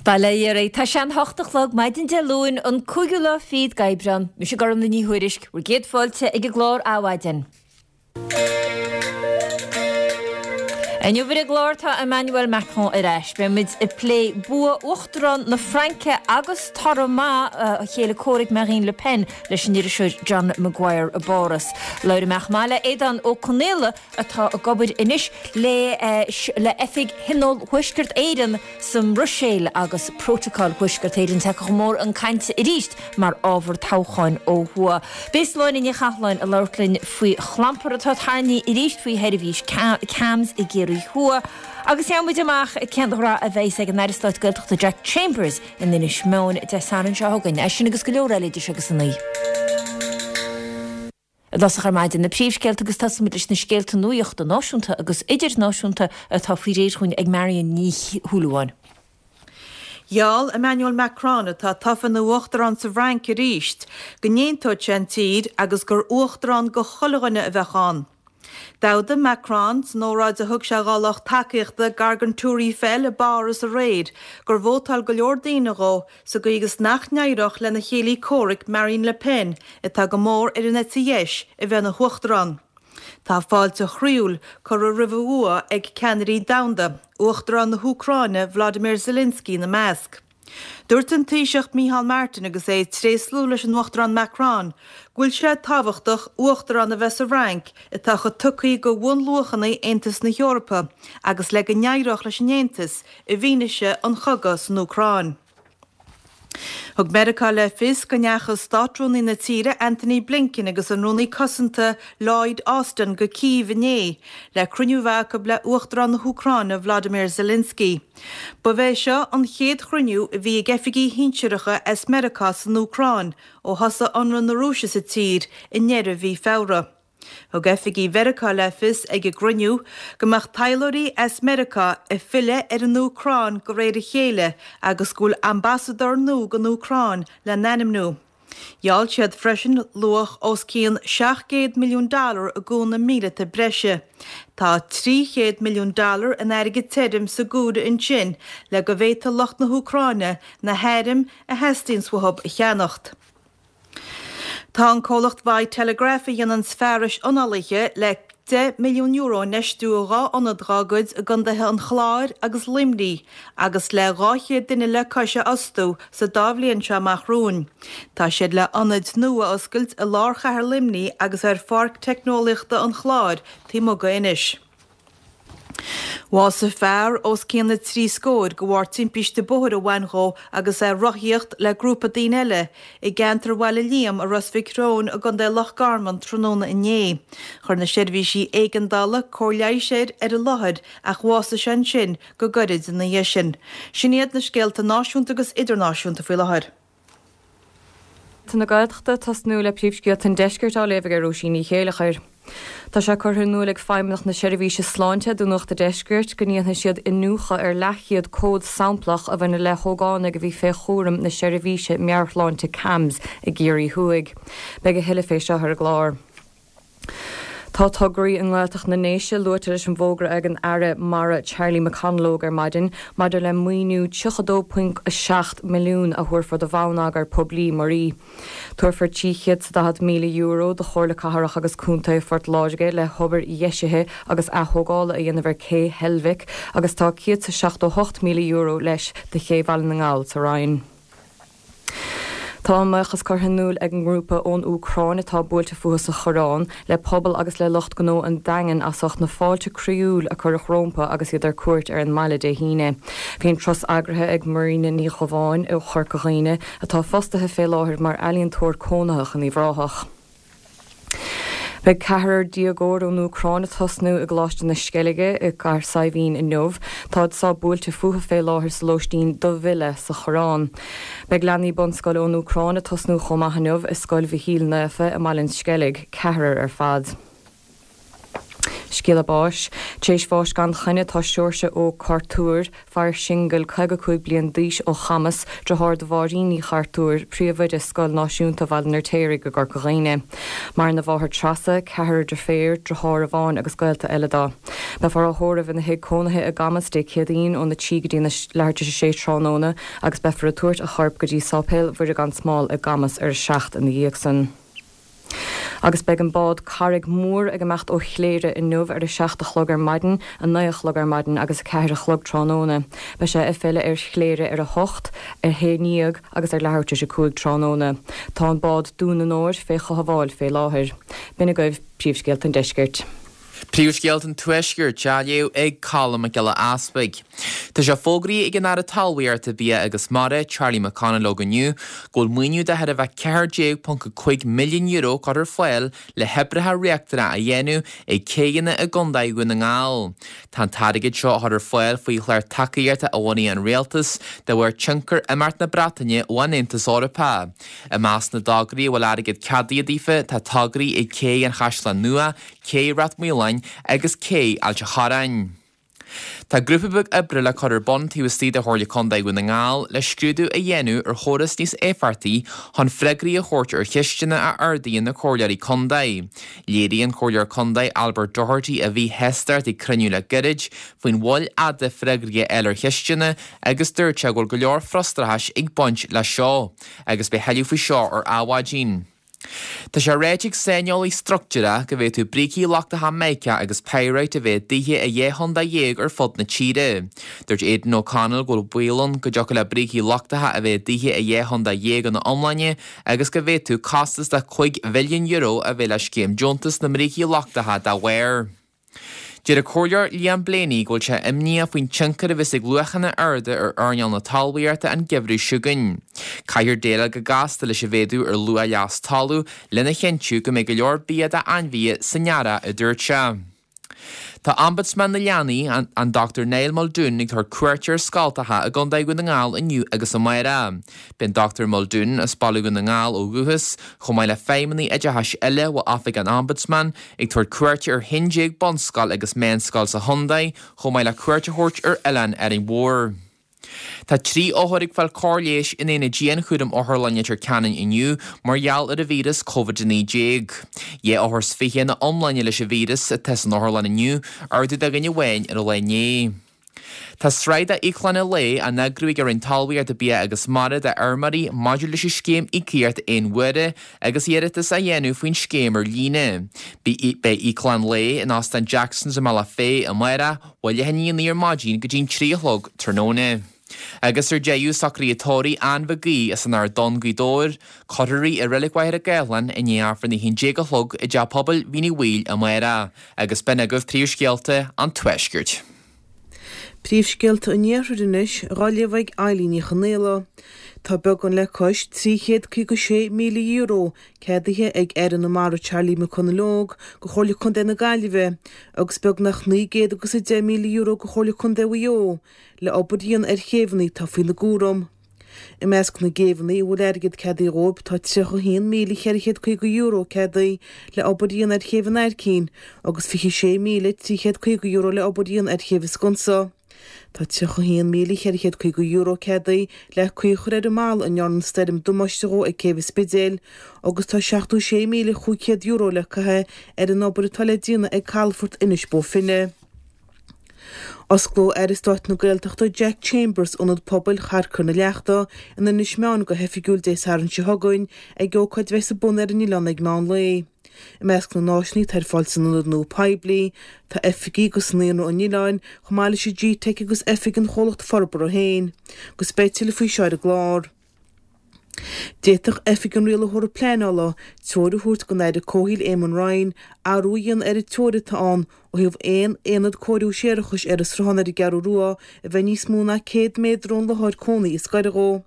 Bail ó Dhia oraibh. Tá sé an hocht a chlog maidin Dé Luain, an cúigiú lá fichead d'Aibreán. Mise Gormlaith Ní Thuairisg, bhur gcéad fáilte ag an gclár Adhmhaidin. Inniu ar an gclár tá Emmanuel Macron ar ais. Beidh muid ag plé bua Uachtarán na Fraince agus toradh maith a chéile comhraic Marine Le Pen leis an iriseoir John Maguire i bPáras. Labhróidh mé chomh maith le Aodán Ó Conaola atá ag obair anois le le Oifig Thionól Thuaisceart Éireann sa mBruiséil agus Prótacal Thuaisceart Éireann tagtha chun mór chun cainte arís mar ábhar toghcháin ó thuaidh. Beidh Sláine Ní Chathalláin ag labhairt linn faoi chlampar atá tarraingthe arís faoi sheirbhís CAMHS i gCiarraí Thuaidh agus gheobhaidh muid amach cén rath a bheas ag an Aire Stáit Gaeltachta Jack Chambers in Inis Meáin Dé Sathairn seo chugainn. É sin agus go leor eile idir seo agus a 9. I dtosach ar maidin, na príomhscéalta agus tosóimid leis na scéalta nuachta náisiúnta agus idirnáisiúnta atá faoi réir chugainn ag Marion Ní Shúilleabháin. Gheall Emmanuel Macron, atá tofa ina uachtarán sa bhFrainc arís, go n-aontódh sé an tír agus gur uachtarán go chuile dhuine a bheadh ann. D'fhógair Macron, san óráid a thug sé dhá lucht tacaíochta gar don Tour Eiffel i bPáras aréir, gur vótáil go leor daoine dhó sa gcaoi agus nach n-éireodh lena chéilí comhraic Marine Le Pen, atá go mór ar an eite dheis, a bheith ina huachtarán. Tá fáilte chroíúil curtha roimh a bhua ag ceannairí domhanda, Uachtarán na hÚcráine Volodymyr Zelensky ina measc. Dúirt an Taoiseach Micheál Martin agus é ag tréaslú leis an Uachtarán Macron go bhfuil sé tábhachtach uachtarán a bheith sa bhFrainc atá chomh tugtha do bhunluachanna Aontas na hEorpa agus le go n-éireodh leis an Aontas i bhfianaise an chogaidh san Úcráin. Thug Meiriceá le fios go ndeachaigh Státrúnaí na tíre Antony Blinken agus an Rúnaí Cosanta Lloyd Austin go Cív inné le cruinniú a bheith acu le Uachtarán na hÚcráine Volodymyr Zelensky. Ba é seo an chéad chruinniú a bhí ag oifigigh shinsearacha as Meiriceá san Úcráin ó thosaigh ionradh na Rúise sa tír i ndeireadh mhí Feabhra. Thug oifigigh Mheiriceá le fios ag an gcruinniú go mbeadh taidhleoirí as Meiriceá ag filleadh ar an Úcráin de réir a chéile agus go bhfuil ambasadóir nua don Úcráin le n-ainmniú. Gheall siad freisin luach os cionn 700 milliún dollar i gcúnamh míleata breise. Tá 300 milliún dollar in airgead tirim sa gcúlra ansin le go bhféadfadh lucht na hÚcráine na hairm a theastaíonns uathu a cheannacht. Tá an comhlacht Vitalograph a dhéananns fearais análaithe le €10 milliún a infheistiú i 2 ionad dhá gcuid i gcontaetha an Chláir agus Luimnigh agus le 200 duine le cois a fhostú sa dá bhliain seo amach romhainn. Tá siad le hionaid nua a oscailt i lár chathair Luimnigh agus ar Pháirc Teicneolaíochta an Chláir taobh amuigh d'Inis. Bhásaigh fear os cionn na dtrí scóir de bharr timpiste bóthair a bhain dhó agus é ag rothaíocht le grúpa daoine eile i gceantar Bhaile Liam i Ros Mhic Thriúin i gContae Loch Garman tráthnóna inné. Chuir na seirbhísí éigeandála cóir leighis air ar an láthair ach bhásaigh sé ansin go gairid ina dhiaidh sin. Sin iad na scéalta náisiúnta agus idirnáisiúnta faoi láthair. na Gaeltachta ag tosnú le príomhscéalta an deiscirt á léamh ag Róisín Ní Chéileachair. Tá sé curtha in iúl ag Feidhmeannacht na Seirbhíse Sláinte do Nuacht an Deiscirt go ndéanfaidh siad iniúchadh ar leathchéad comhad samplach a bhaineann le hógánaigh a bhí fé chúram na seirbhíse meabhairshláinte CAMHS i gCiarraí Thuaidh. Beidh a thuilleadh fé seo ar an gclár. Tá tograí i nGaeltacht na nDéise luaite leis an bhfógra ag an Aire Mara Charlie McConalogue ar maidin maidir le maoiniú 32.7 milliún a thabharfar do bhonneagar poiblí muirí. Tabharfar €340,000 do Chomhairle Cathrach agus Contae Phort Láirge le hobair dheisithe agus athógála a dhéanamh ar Cé Heilbhic agus tá €178,000 leis do Ché Bhaile na nGall sa Rinn. Tá a mbuíochas curtha in iúl ag an ngrúpa ón Úcráin atá buailte fúthu sa Choireán le pobal agus le lucht gnó an Daingin as ucht na fáilte croíúil a cuireadh rómpa agus iad ar cuairt ar an mbaile Dé hAoine. Bhí an turas eagraithe ag Marina Ní Dhubháin ó Chorca Dhuibhne atá fostaithe fé láthair mar ealaíontóir cónaitheach in Uíbh Ráthach. Beidh ceathrar déagóir ón Úcráin ag tosnú i gColáiste na Sceilge i gCathair Saidhbhín inniu. Táid sách buailte fúthu fé láthair sa lóistín do mhilleadh sa Choireán. Beidh leanaí bunscoile ón Úcráin ag tosnú chomh maith inniu i Scoil Mhichíl Naofa i mBaile an Sceilg, ceathrar ar fad. Scéala báis. Tar éis bháis gan choinne tá Seoirse Ó Cartúir, fear singil, 55 bliain d'aois ó Chamas, deartháir do Mháirín Ní Chartúir, príomhoide Scoil Náisiúnta Bhaile an Fheirtéaraigh i gCorca Dhuibhne. Maireann a mháthair Treasa, ceathrar deirféar, deartháir amháin agus gaolta eile dó. Beifear á thórramh ina thigh cónaithe i gCamas Dé Céadaoin óna 3 go dtí na leathuair tar éis a sé tráthnóna agus beifear ag tabhairt a choirp go dtí Sáipéal Mhuire gan Smál i gCamas ar a 7 ina dhiaidh san. Agus beidh an bád Carraig Mhór ag imeacht ó Chléire inniu ar a 7 a chlog ar maidin, 9 a chlog ar maidin agus 4 a chlog tráthnóna. Beidh sé ag filleadh ar Chléire ar a hocht, ar haon ndéag agus ar leathuair tar éis a 5 tráthnóna. Tá an bád Dún an Óir fé chothabháil fé láthair. B'in agaibh Príomhscéalta an Deiscirt. Príomhscéalta an Tuaiscirt á léamh ag Colm Mac Giolla Easpaig. Tá sé fógraithe ag an Aire Talmhaíochta, Bia agus Mara, Charlie McConalogue inniu go bhfuil maoiniú de chóir a bheith €14.5 milliún curtha ar fáil le hoibreacha riachtanacha a dhéanamh ag céidheanna i gContae Dhún na nGall. Tá an t-airgead seo á chur ar fáil faoi chlár tacaíochta a bhunaigh an Rialtas de bharr tionchar imeacht na Breataine ón Aontas Eorpach. I measc na dtograí a bhfuil airgead ceadaithe daofa tá tograí ag Cé an Chaisleáin Nua, Cé Rath Maoláin agus Cé Ailt a' Chorráin. Tá grúpa beag oibre le cur ar bun taobh istigh de Chomhairle Contae Dhún na nGall le scrúdú a dhéanamh ar chóras níos éifeachtaí chun freagraí a thabhairt ar cheisteanna a ardaíonn na Comhairleoirí Contae. Léirigh an Comhairleoir Contae Albert Doherty a mhíshástacht ag cruinniú le gairid faoin mhoill fhada freagraí a fháil ar cheisteanna agus dúirt sé go bhfuil go leor frustrachais ag baint leis seo agus beidh thuilleadh faoi seo ar Adhmhaidin. Tá sé ráite ag saineolaí struchtúrach go bhféadfadh brící lochtacha mica agus pyrite a bheith i dtithe i dheich chontae dhéag ar fud na tíre. Dúirt Aidan O'Connell go bhfuil baol ann go dtiocfadh le brící lochtacha a bheith i dtithe i dheich chontae dhéag ina iomláine agus go bhféadfadh costas de €5 bhilliún a bheith le scéim deontas na mbrící lochtacha dá bharr. Deir an Comhairleoir Liam Blaney go bhfuil sé imníoch faoin tionchar a bheas ag luachanna arda ar earnáil na talmhaíochta an geimhreadh seo chugainn. Caithfear déileáil go gasta leis an mhéadú ar luach leas talún lena chinntiú go mbeidh go leor bia d'ainmhithe san earrach, a dúirt sé. Tá Ombudsman na Leanaí, an Dr Niall Muldoon ag tabhairt cuairte ar scoltacha i gContae Dhún na nGall inniu agus amárach. Beidh an Dr Muldoon, as Baile Dhún na nGall ó dhúchas, chomh maith le feidhmeannaigh oideachais eile ó Oifig an Ombudsman, ag tabhairt cuairte ar 11 bunscoil agus meánscoil sa chontae, chomh maith le cuairt a thabhairt ar oileán Árainn Mhór. Tá 3 othar ag fáil cóir leighis in aonad dianchúraim Otharlann Leitir Ceanainn inniu mar gheall ar an víreas Covid-19. 22 othar ina iomláine leis an víreas atá san otharlann inniu, ardú de dhuine amháin ar an lá inné. Tá sraith d'íoclanna lae á n-eagrú ag an Roinn Talmhaíochta, Bia agus Mara d'fheirmeoirí maidir leis an scéim íocaíocht aon uaire agus iarratas á dhéanamh faoin scéim ar líne. Beidh íoclann lae in Óstán Jackson's i mBealach Féich amárach ó leath i ndiaidh a 9 ar maidin go dtí an 3 a chlog tráthnóna. Agus ar deireadh, socruithe tórraimh Ann Mhig Aoidh as an Ard Donn, Gaoth Dobhair, cuirfear í i Reilig Mhachaire Gathlán i ndiaidh Aifreann a 11 a chlog i dTeach Pobail Mhín Uí Bhaoill amárach. Agus b'in agaibh príomhscéalta an Tuaiscirt. Príomhscéalta an Iarthair anois, dhá léamh ag Eilín Ní Chonaola. Tá beagán le cois €356,000 ceadaithe ag Aire na Mara Charlie McConalogue do Chomhairle Contae na Gaillimhe agus beagnach €910,000 do Chomhairle Contae Mhaigh Eo le obair a dhéanamh ar chéibheanna atá faoina gcúram. I measc na gcéibheanna a bhfuil airgead ceadaithe dhóibh tá €31,450 ceadaithe le obair a dhéanamh ar Chéibh an Aircín agus €26,350 le obair a dhéanamh ar Chéibh an Sconsa. Tá €31,450 ceadaithe le caoi a chur ar an mballa a ndearna an stoirm damáiste dhó ag Céibh an Spidéil agus tá €76,500 le caitheamh ar an obair atá le déanamh ag calafort Inis Bó Finne. Osclóidh Aire Stáit na Gaeltachta Jack Chambers Ionad Pobail Charcair na Leachta in Inis Meáin go hoifigiúil Dé Sathairn seo chugainn ag ócáid a bheas ar bun ar an oileán ag meán lae. I measc na n-áiseanna atá ar fáil san ionad nua poiblí, tá oifigí agus naíonra an oileáin, chomh maith leis an GTeic agus oifig an chomhlacht forbartha féin. Agus beidh tuilleadh faoi seo ar an gclár. D'fhéadfadh Oifig an Rialaitheora Pleanála treoir a thabhairt don Aire Comhshaoil Eamon Ryan athrú a dhéanamh ar an teoiric atá ann ó thaobh aon aonad cóiriú séarachais ar an sruthán ar an gCeathrú Rua a bheith níos mó ná 100 méadar ón láthair cónaí is gaire dhó.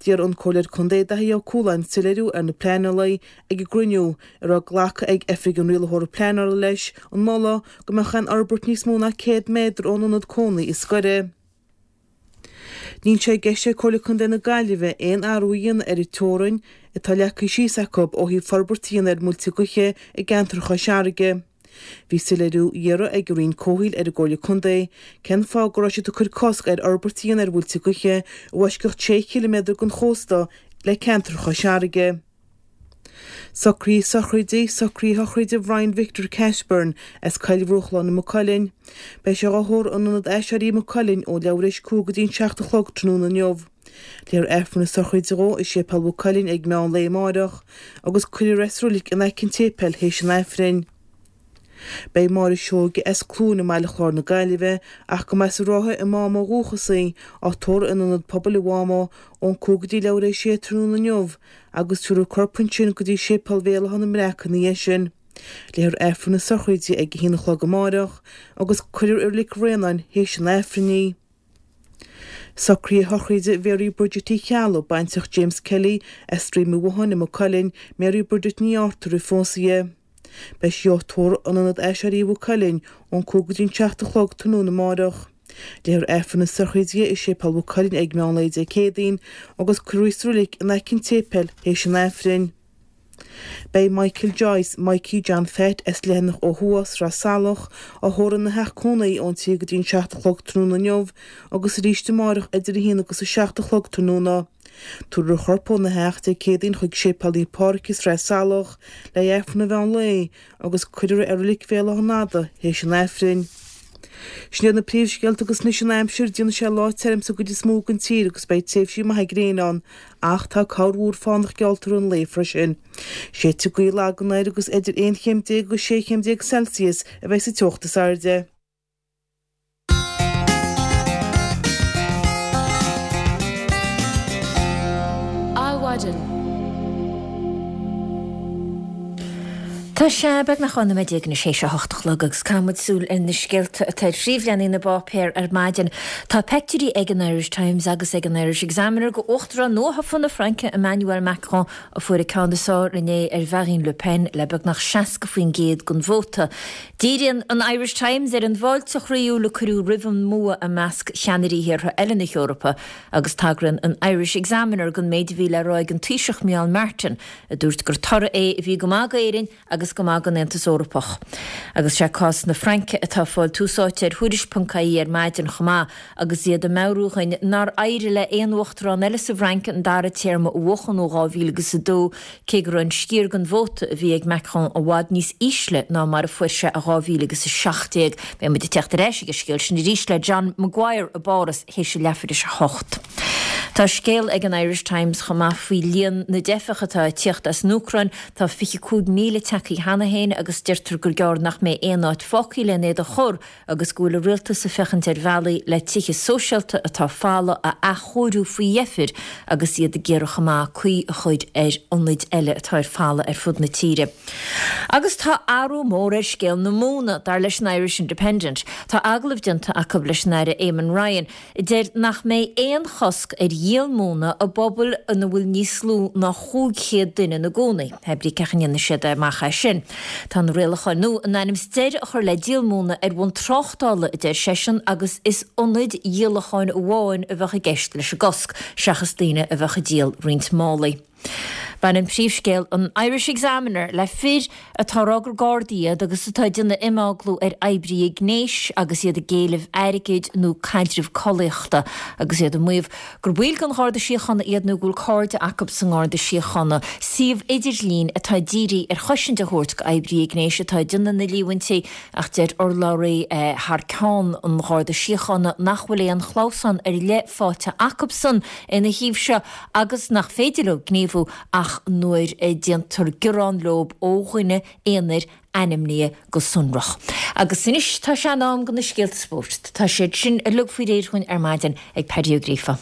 D'iarr an Comhairleoir Contae Daithí Ó Cualáin soiléiriú ar na pleanálaithe ag an gcruinniú a raibh glactha ag Oifig an Rialaitheora Pleanála leis an moladh go mbeadh aon fhorbairt níos mó ná 100 méadar ón ionad cónaí is gaire. Níl sé i gceist ag Comhairle Contae na Gaillimhe aon athrú a dhéanamh ar an teorainn atá leagtha síos acu ó thaobh forbairt a dhéanamh ar mhuilte gaoithe i gceantar Chois Fharraige. Bhí soiléiriú á iarraidh ag an Roinn Comhshaoil ar an gComhairle Contae cén fáth go raibh siad ag cur cosc ar fhorbairt a dhéanamh ar mhuilte gaoithe i bhfoisceacht sé chiliméadar den chósta le ceantar Chois Fharraige. Socruithe sochraide, Socruithe sochraide Bhrian Victor Cashburn as Coill Bhruachláin i Maigh Cuilinn. Beidh sé dhá thórramh in Ionad Aiséirí Mhaigh Cuilinn ó leathuair tar éis 5 go dtí an 7 a chlog tráthnóna inniu. Léifear Aifreann na sochraide dhó i Séipéal Mhaigh Cuilinn ag meán lae amáireach agus cuirfear é sa roilig in aice an tséipéil théis an Aifrinn. Beidh Máire Seoige as Cluain i mBaile Chláir na Gaillimhe, ach go mba as an Rátha i Máma ó dhúchas í, á tórramh in Ionad Pobail an Mháma ón 5 go dtí leathuair tar éis a sé tráthnóna inniu agus tabharfar a corp ansin go dtí Séipéal Bhéal Átha na mBreac ina dhiaidh sin. Léifear Aifreann na sochraide ag a haon a chlog amáireach agus cuirfear i Reilig Bhraonáin théis an Aifrinn í. Socruithe sochraide Mhary Bridget Uí Cheallaigh, baintreach James Kelly, as Droim an Bhotháin i Maigh Cuilinn, Mary Bridget Ní Arthur a phós é. Beidh sí á tórramh in Ionad Aiséirí Mhaigh Cuilinn ón 5 go dtí an 7 a chlog tráthnóna amáireach. Léifear Aifreann na sochraide di i Séipéal Mhaigh Cuilinn ag meán lae Dé Céadaoin agus cuirfear í sa roilig in aice an tséipéil théis an Aifrinn. Beidh Michael Joyce, Mikey John Phat, as Leathanach ó Thuaidh, Sraith Salach, á thórramh ina theach cónaí ón 3 go dtí an 7 a chlog tráthnóna inniu agus arís amárach idir 1 agus 7 a chlog tráthnóna. Tabharfar a chorp óna theach Dé Céadaoin chuig Séipéal Naomh Pádraig i Sraith Salach le haghaidh Aifreann an mheán lae agus cuirfear é i Reilig Bhéal Átha an Fhada théis an Aifrinn. Sin iad na príomhscéalta agus anois an aimsir, déanfaidh sé lá tirim sa gcuid is mó den tír agus beidh tréimhsí maithe gréine ann ach tá corrmhúr fánach geallta i rith an lae freisin. Séidfidh gaoth lag anoir agus idir 11 chéim agus 16 chéim Celsius a bheidh sa teocht is airde. Adhmhaidin. Tá sé beagnach 12 nóiméad anois théis a hocht a chlog agus caithfidh muid súil ar na scéalta atá ar phríomhleathanaigh na bpáipéar ar maidin. Tá peictiúirí ag an Irish Times agus ag an Irish Examiner de Uachtarán nuathofa na Fraince Emmanuel Macron a fuair an ceann is fearr inné ar Mharine Le Pen le beagnach 60% den vóta. Díríonn an Irish Times ar an bhfáilte chroíúil a cuireadh roimh an mbua i measc cheannairí thíortha eile na hEorpa agus tagraíonn an Irish Examiner don méid a bhí le rá ag an Taoiseach Micheál Martin a dúirt gur toradh é a bhí go maith d'Éirinn agus go maith don Aontas Eorpach. Agus sé cás na Fraince atá ag fáil tús áite ar Thuairisc.ie ar maidin chomh maith agus iad ag meabhrú dhuinn nár éirigh le aon uachtarán eile sa bhFrainc an dara téarma a bhuachan ó 2002 cé go raibh an sciar den vóta a bhí ag Macron i bhfad níos ísle ná mar a fuair sé i 2017. Beidh muid ag teacht ar ais ag an scéal sin arís le John Maguire i bPáras théis a leathuair théis a hocht. Tá scéal ag an Irish Times chomh maith faoi líon na dteifeach atá ag tíocht as an Úcráin. Tá 25,000 tagtha cheana féin agus deirtear gur gearr nach mbeidh aon áit fágtha len iad a chur agus go bhfuil an rialtas ag féachaint ar bhealaí le tithe sóisialta atá folamh a athchóiriú faoi dheifir agus iad ag iarraidh chomh maith caoi a chur ar ionaid eile atá ar folamh ar fud na tíre. Agus tá athrú mór ar scéal na móna, dar leis an Irish Independent. Tá agallamh déanta acu leis an Aire Eamon Ryan, a deir nach mbeidh aon chosc ar dhíol móna i bpobail ina bhfuil níos lú ná 500 duine ina gcónaí. Hé brí cén chaoi a ndéanfaidh siad amach é sin. Tá na rialacháin nua in ainm is deireadh a chur le díol móna ar bhonn tráchtála, a deir seisean, agus is ionaid dhíolacháin amháin a bheadh i gceist leis an gcosc, seachas daoine a bheadh ag díol roinnt málaí. Baineann príomhscéal an Irish Examiner le fir atá ag rá gur Gardaí iad agus atá ag déanamh imeaglú ar oibrithe gnéis agus iad ag éileamh airgid nó caidreamh collaíochta agus iad ag maíomh gur baill den Gharda Síochána iad nó go bhfuil cairde acu sa nGarda Síochána. Suíomh idirlín atá dírithe ar chosaint a thabhairt d'oibrithe gnéis atá ag déanamh na líomhaintí ach deir urlabhraí thar ceann an Gharda Síochána nach bhfuil aon chlamhsán ar leith faighte acubsan ina thaobh seo agus nach féidir leo gníomhú ach nuair a déantar gearán leo ó dhuine aonair ainmnithe go sonrach. Agus anois tá sé in am do na scéalta spóirt. Tá siad sin uilig faoi réir dhúinn ar maidin ag Paddy Ó Gríofa.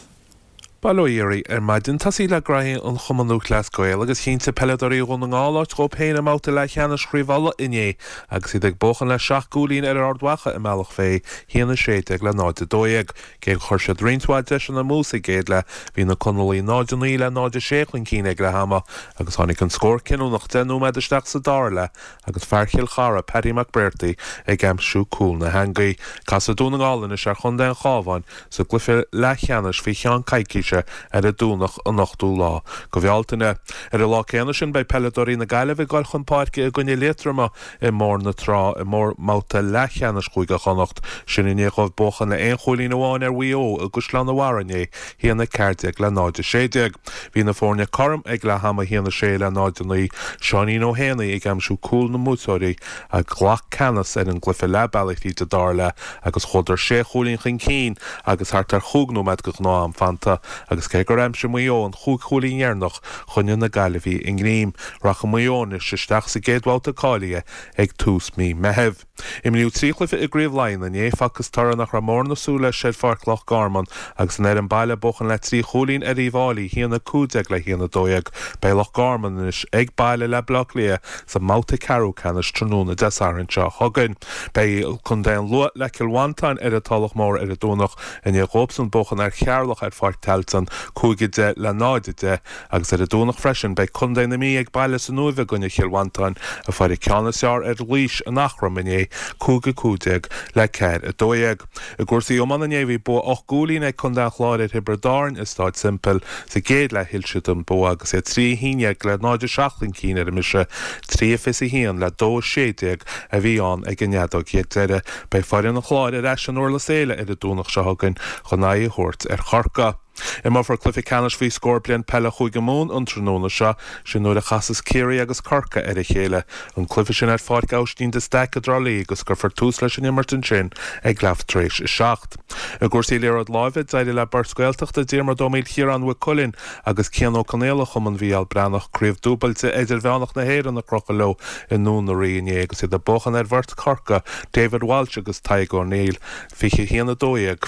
Bail ó Dhia oraibh ar maidin. Tosaí le graithí an Chumann Lúthchleas Gael agus chinntigh peileadóirí Dhún na nGall áit dhóibh féin i mbabhta leathcheannais Chraobh Uladh inné agus iad ag buachan le seacht gcúilín ar Ard Mhacha i mBealach Féich, 1-16 le 0-12. Cé gur chuir siad roinnt mhaith deiseanna amú sa gcéad leath, bhí na Conallaigh 0-9 le 0-6 chun cinn ag leath ama agus tháinig an scór cinniúnach 10 nóiméad isteach sa dara leath agus fear Chill Chartha, Paddy McBrearty, ag aimsiú cúl na heangaí. Casfaidh Dún na nGall anois ar chontae an Chabháin sa gcluiche leathcheannais faoi cheann coicíse. Inse ar an Domhnach an 8ú lá go Bhealtaine. Ar an lá céanna sin beidh peileadóirí na Gaillimhe ag dul chun páirce i gcoinne Liatroma i mBóthar na Trá i mbabhta leathcheannais Chúige Chonnacht, sin i ndiaidh dóibh buachan le aon chúilín amháin ar Mhaigh Eo i gCaisleán an Bharraigh inné, 1-14 le 0-16. Bhí na foirne cothrom ag leath ama, 1-6 le 0-9, Seáinín Ó hÉanaí ag aimsiú cúl na mbuaiteoirí a ghlac ceannas ar an gcluiche leath bealaigh thríd an dara leath agus chuadar sé chúilín chun cinn agus thart ar chúig nóiméad de ghnáth-am fanta agus cé gur aimsigh Maigh Eo an chúig chúilín dheireanach choinnigh na Gaillimhigh a ngreim. Rachaidh Maigh Eo anois isteach sa gcéad bhabhta cáilithe ag tús mí Meithimh. Imríodh 3 chluiche i gCraobh Laighean inné, facthas toradh nach raibh mórán ag súil leis ar Pháirc Loch Garman agus an fhoireann baile ag buachan le 3 chúilín ar Uíbh Fháilí, 1-15 le 1-12. Beidh Loch Garman anois ag baile le Baile Átha Cliath sa mbabhta ceathrú ceannais tráthnóna Dé Sathairn seo chugainn. Beidh Contae an Lú le Cill Mhantáin ar an Tulach Mhór ar an Domhnach i ndiaidh dhóibhsan buachan ar Cheatharlach ar Pháirc Tailteann, 5-10 le 0-10, agus ar an Domhnach freisin beidh Contae na Mí ag baile san Uaimh i gcoinne Chill Mhantáin a fuair an ceann is fearr ar Laois in Eachroim inné, 5-15 le 4-12. I gcúrsaí iomána inné bhí bua 8 gcúilín ag Contae an Chláir ar Thiobraid Árann i Stáid Semple. Sa gcéad leath thuill siad an bua agus iad 3 1-11 le 0-7 chun cinn ar an mbriseadh, 3-21 le 2-16 a bhí ann ag an fheadóg dheiridh. Beidh foireann an Chláir ar ais in Durlas Éile ar an Domhnach seo chugainn chun aghaidh a thabhairt ar Chorcaigh. Imreofar cluiche ceannais faoi scór bliain peile Chúige Mumhan an tráthnóna seo, sin nuair a chasas Ciarraí agus Corcaigh ar a chéile. An cluiche sin ar Pháirc Aibhistín de Staic i dTrá Lí agus cuirfear tús leis an imirt ansin ag leath tar éis a 7. I gcúrsaí liathróid láimhe, d'éirigh le beirt Ghaeltachta, Diarmuid Ó Maoilchiaráin Mhaigh Cuilinn agus Cian Ó Conaola Chumann Mhícheál Breathnach, Craobh Dúbailte Idirmheánach na hÉireann a chrochadh leo i nDún na Rí inné agus iad ag buachan ar bheirt Chorcaí, David Walsh agus Tadhg O'Neill, 21 12.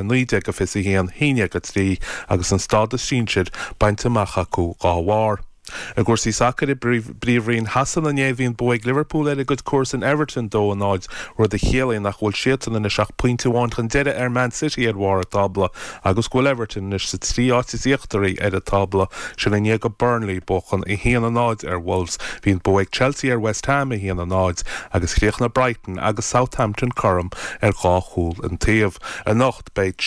19-21, 11-3 agus an stádas sinsir bainte amach acu dá bharr. I gcúrsaí sacair i bPríomhroinn Shasana inné bhí an bua ag Liverpool ar a gcuid comharsan Everton 2-0, rud a chiallaíonn nach bhfuil siadsan anois ach pointe amháin chun deiridh ar Man City ar bharr an tábla agus go bhfuil Everton anois sa trí áit is íochtaraí ar an tábla, sin i ndiaidh do Burnley buachan 1-0 ar Wolves. Bhí an bua ag Chelsea ar West Ham 1-0 agus chríochnaigh Brighton agus Southampton cothrom ar dhá chúl an taobh. Anocht, beidh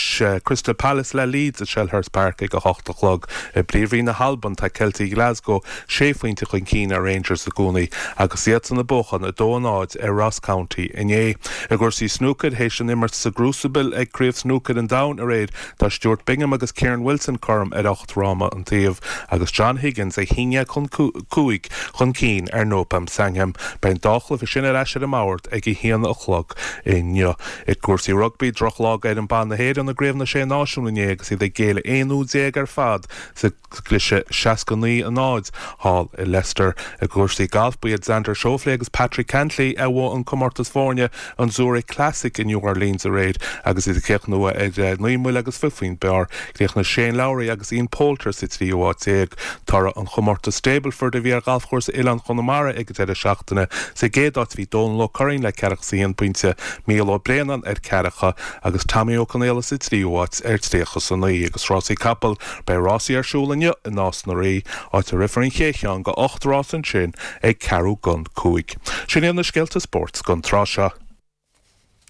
Crystal Palace le Leeds i Selhurst Park ag a hocht a chlog. I bPríomhroinn na hAlban, tá Ceiltigh Ghlasgow sé phointe chun cinn ar Rangers i gcónaí agus iadsan ag buachan 2-0 ar Ross County inné. I gcúrsaí snúcair, théis an imirt sa gCrucible ag Craobh Snúcair an Domhain aréir, tá Stuart Bingham agus Kyren Wilson cothrom ar 8 fhráma an taobh agus John Higgins 11 chun 5 chun cinn ar Noppon Saengkham. Beidh an dá chluiche sin ar ais ar an mbord ag 1 a chlog inniu. I gcúrsaí rugbaí, drochlá d'fhoireann ban na hÉireann i gCraobh na Sé Náisiún inné agus iad ag géilleadh 11ú ar fad sa gcliseadh 69-0 thall i Leicester. I gcúrsaí gailf, ba iad Xander Schauffele agus Patrick Cantlay a bhuaigh an comórtas foirne, an Zurich Classic i New Orleans aréir agus iad ag críochnú ar 9 mbuille agus 20 faoin bpar. Chríochnaigh Shane Lowry agus Ian Poulter sa tríú háit déag. Toradh an chomórtais Stableford a bhí ar ghalfchúrsa Oileán Chonamara ag an deireadh seachtaine. Sa gcéad áit bhí Dónal Ó Curraoin le ceathracha is a haon pointe, Mícheál Ó Braonáin ar ceathracha agus Tommy Ó Conaola sa tríú háit ar tríocha is a naoi. Agus rásaí capall, beidh rásaí ar siúl inniu i Nás na Rí, áit a rithfear an chéad cheann de 8 rás ansin ag ceathrú don 5. Sin iad na scéalta spóirt don tráth seo.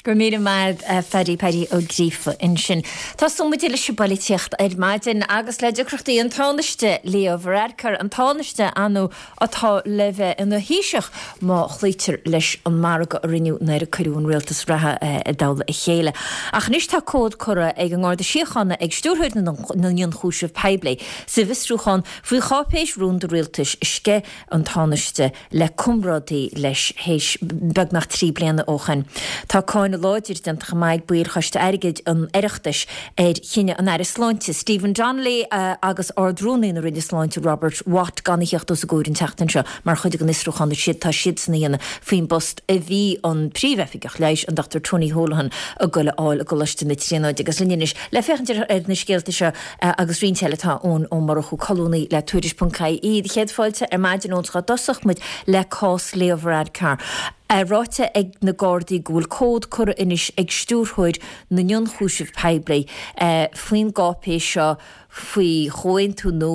Go raibh míle maith agat a Phaddy, Paddy Ó Gríofa ansin. Tosóidh muid leis an bpolaitíocht ar maidin agus le deacrachtaí an Tánaiste Leo Varadkar, an Tánaiste ar ndóigh atá le bheith ina Thaoiseach má chloítear leis an margadh a rinneadh nuair a cuireadh an rialtas reatha i dtoll a chéile. Ach anois tá comhad curtha ag an nGarda Síochána ag Stiúrthóir na nIonchúiseamh Poiblí sa bhfiosrúchán faoi cháipéis rúnda rialtais a sceith an Tánaiste le comrádaí leis théis beagnach 3 bliana ó shin. Tá cáineadh láidir déanta chomh maith ag baill Choiste Airgid an Oireachtais ar chinneadh an Aire Sláinte, Stephen Donnelly agus Ard-Rúnaí na Roinne Sláinte, Robert Watt gan a theacht os a gcomhair an tseachtain seo mar chuid den fhiosrúchán atá siadsan a dhéanamh faoin bpost a bhí an Príomhoifigeach Leighis, an Dr Tony Holohan, ag goil a fháil i gColáiste na Tríonóide. Agus linn anois le féachaint ar na scéalta seo Agus roinnt eile tá Eoin Ó Murchú, colúnaí le Tuairisc.ie. Céad fáilte ar maidin Eoin dá dtosódh muid le cás Leo Varadkar. É ráite ag na Gardaí go bhfuil comhad curtha anois ag Stiúrthóir na nIonchúiseamh Poiblí faoin gcáipéis seo faoi chomhaontú nó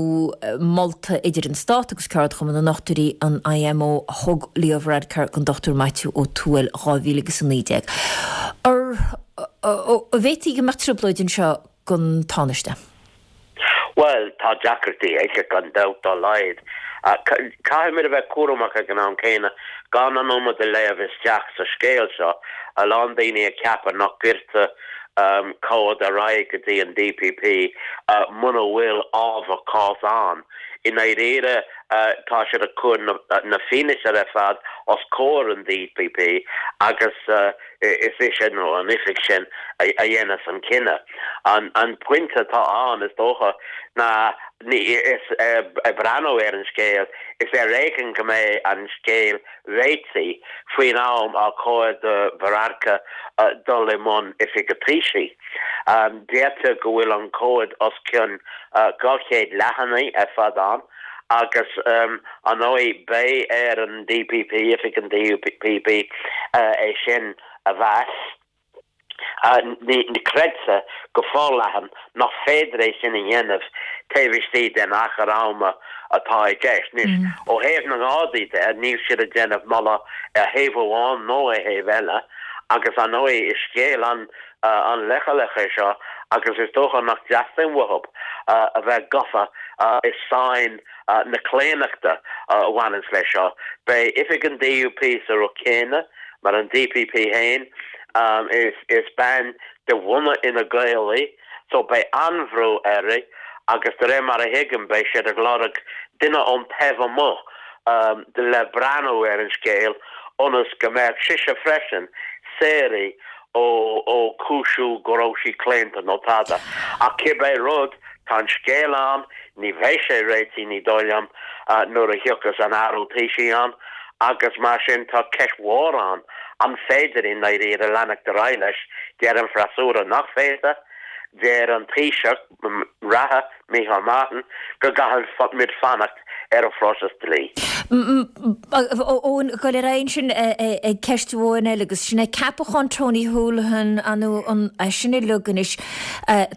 molta idir an Stát agus Ceardchumann na nDochtúirí, an IMO, a thug Leo Varadkar don Dr Maitiú Ó Tuathail 2019. An bhféadfaí go mbeadh trioblóid anseo? don Tánaiste? Bhuel, tá deacrachtaí aici gan dabht dá laghad. Caithfimid a bheith cúramach ag an am céanna gan an iomad a léamh isteach sa scéal seo. A lán daoine ag ceapadh nach gcuirtear comhad ar aghaidh go dtí an DPP muna bhfuil ábhar cás ann. I ndáiríre tá siad ag cur na fianaise ar fad os comhair an DPP agus is ise nó an oifig sin a dhéanas an cinneadh. An pointe atá ann, is dócha, ná is ag breathnú ar an scéal, is ar éigean go mbeidh an scéal réitithe faoin am ar chóir do Varadkar dul i mbun oifig an Taoisigh. Deirtear go bhfuil an comhad os cionn 200 leathanaigh ar fad ann agus ar ndóigh beidh ar an DPP, oifig an DPP, é sin a mheas. Ní creidtear go forleathan nach féidir é sin a dhéanamh taobh istigh den achar ama atá i gceist. Anois, ó thaobh na nGardaí de, níl siad ag déanamh moladh ar thaobh amháin nó ar thaobh eile agus, ar ndóigh, is scéal an-leochaileach é seo agus is dócha nach dteastaíonn uathu a bheith gafa i sáinn na claonachta a bhaineanns leis seo. Beidh oifig an DUP sa rud céanna mar an DPP féin. Is bean de bhunadh Fhine Gael í so beidh an-bhrú uirthi agus de réir mar a thuigim beidh siad ag lorg duine ón taobh amuigh le breathnú ar an scéal ionas go mbeadh sise freisin saor ó chúisiú go raibh sí claonta nó tada. Ach cibé rud, tá an scéal ann, ní bheidh sé réitithe, ní dóigh liom, nuair a thiocfas an athrú Taoisigh ann agus mar sin tá ceist mhór ann an féidir i ndáiríre leanacht ar aghaidh leis. Deir an freasúra nach féidir, deir an Taoiseach reatha, Micheál Martin, go gcaithfimid fanacht ar an phróiseas dlí. Eoin, gabháil ar aghaidh ansin ag ceist amháin eile agus sin é ceapachán Tony Holohan, an é sin uilig anois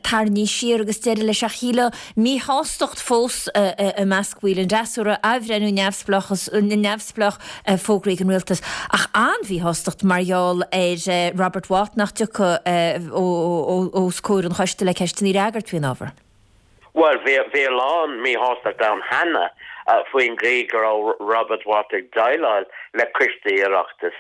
tarraingthe siar agus deireadh leis ach shílfeá míshástacht fós i measc bhaill an fhreasúra, athbhreithniú neamhspleách fógraithe ag an rialtas ach an-mhíshástacht mar gheall ar Robert Watt nach dtiocfaidh os comhair an choiste le ceisteanna a fhreagairt faoin ábhar. Bhuel, bhí a lán míshástacht ann cheana faoin gcaoi go raibh Robert Watt ag déileáil le coistí Oireachtais,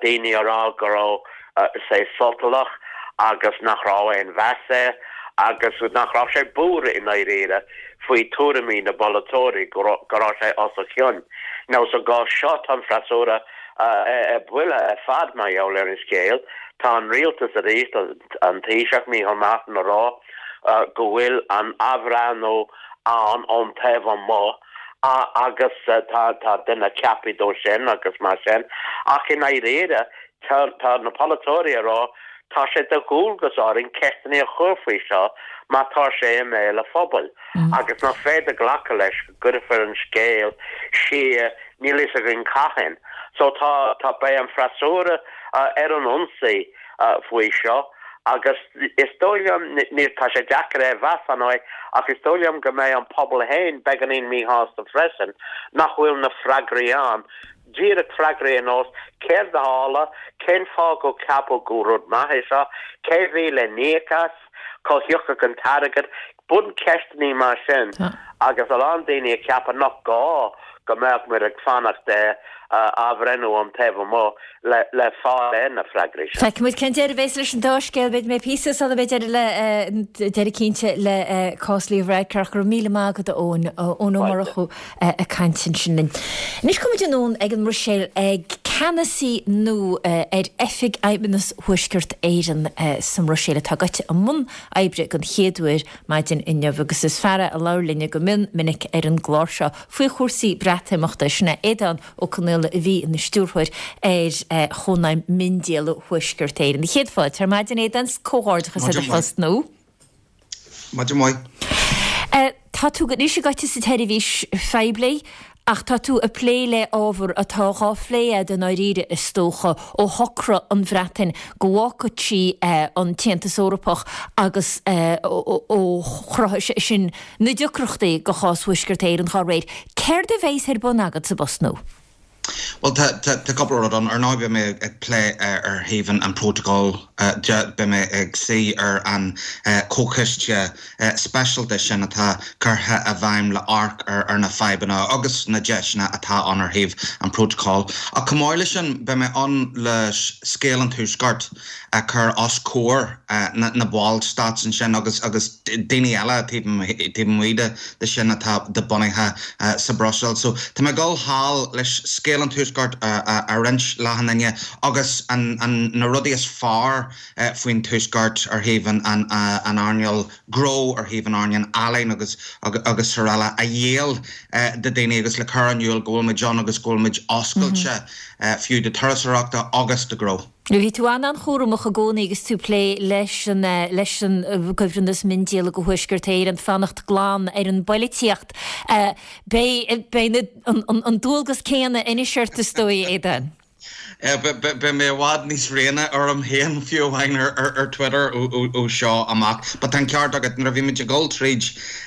daoine ag rá go raibh sé sotalach agus nach raibh aon mheas air agus nach raibh sé buartha i ndáiríre faoi tuairimí na bpolaiteoirí, go raibh sé os a chionn. Now sa gcás seo tá an freasúra ar buile ar fad mar gheall ar an scéal. Tá an rialtas arís, an Taoiseach Micheál Martin ag rá go bhfuil an athbhreathnú ann ón taobh amuigh agus tá duine ceaptha dó sin agus mar sin ach i ndáiríre tá na polaiteoirí ag rá tá sé de dhualgas orainn ceisteanna a chur faoi seo mar tá sé i mbéal an phobail agus nach féidir glacadh leis go gcuirfear an scéal siar níl fhios againn cathain. So tá tá beidh an freasúra ar an ionsaí faoi seo agus is dóigh liom, níl, tá sé deacair é a mheas, ar ndóigh, ach is dóigh liom go mbeidh an pobal féin beagáinín míshásta freisin nach bhfuil na freagraí ann, díreach freagraí ar nós, céard a tharla, cén fáth gur ceapadh gur rud maith é seo, cé bhí le n-íoc as, cá thiocfadh an t-airgead, buncheisteanna mar sin agus a lán daoine ag ceapadh nach gá go mbeadh muid ag fanacht ar athbhreithniú ón taobh amuigh le fáil ar na freagraí sin. Feicfidh muid cén deireadh a bheas leis an dá scéal. B'fhéidir go mbeidh píosa sula mbeidh deireadh le deireadh cinnte le cás Leo Varadkar. Ach go raibh míle maith agat a Eoin, Eoin Ó Murchú ag caint ansin linn. Anois gabhfaidh muid anonn ag an mBruiséil ag ceannasaí nua ar Oifig Fheidhmeannas Thuaisceart Éireann sa mBruiséil atá gaibhte i mbun oibre den chéad uair maidin inniu agus is fear é a labhair linne go mion minic ar an gclár seo faoi chúrsaí Breatimeachta, sin é Aodán Ó Conaola a bhí ina stiúrthóir ar Chónaidhm Miondíola Thuaisceart Éireann. Céad fáilte ar maidin Aodán, 's comhghairdeachas ar do phost nua. Maidin mhaith. Tá tú anois gaibhte sa tseirbhís phoiblí ach tá tú ag plé le ábhar atá dhá phlé a'd i ndáiríre is dócha ó shocraigh an Bhreatain go bhfágfadh sí an tAontas Eorpach agus ó chruthaigh sé sin na deacrachtaí do chás Thuaisceart Éireann dhá réir. Céard a bheas ar bun agat sa bpost nua? Bhuel, tá cúpla rud ann. Ar ndóigh, beidh mé ag plé ar thaobh an prótacal. Beidh mé ag suí ar an chomhchoiste speisialta sin atá curtha i bhfeidhm le amharc ar na fadhbanna agus na deiseanna atá ann ar thaobh an Prótacail. Ach chomh maith leis sin, beidh mé ann le scéal an Tuaiscirt a chur os comhair na ballstáit ansin agus agus daoine eile taobh amuigh de sin atá bunaithe sa Bhruiséil. So tá mé ag dul thall leis scéal an Tuaiscirt a roinnt le achan duine agus na rudaí is fearr faoin Tuaisceart ar thaobh an earnáil gnó, ar thaobh an earnáil ealaíon agus agus araile a dhíol do daoine agus le cur in iúl go bhfuil muid ann agus go bhfuil muid oscailte fiú do turasóireachta agus do ghnó. Bhí tú an-an-chúramach i gcónaí agus tú ag plé leis an leis an gcuibhreannas miondíola do Thuaisceart Éireann, fanacht glan ar an bpoilitíocht. Beidh beidh an dualgas céanna anois ort is dóigh, Aodán. Beidh mé i bhfad níos riana orm féin, fiú amháin ar Twitter ó seo amach. But tá an ceart agat, nuair a bhí muid ag dul tríd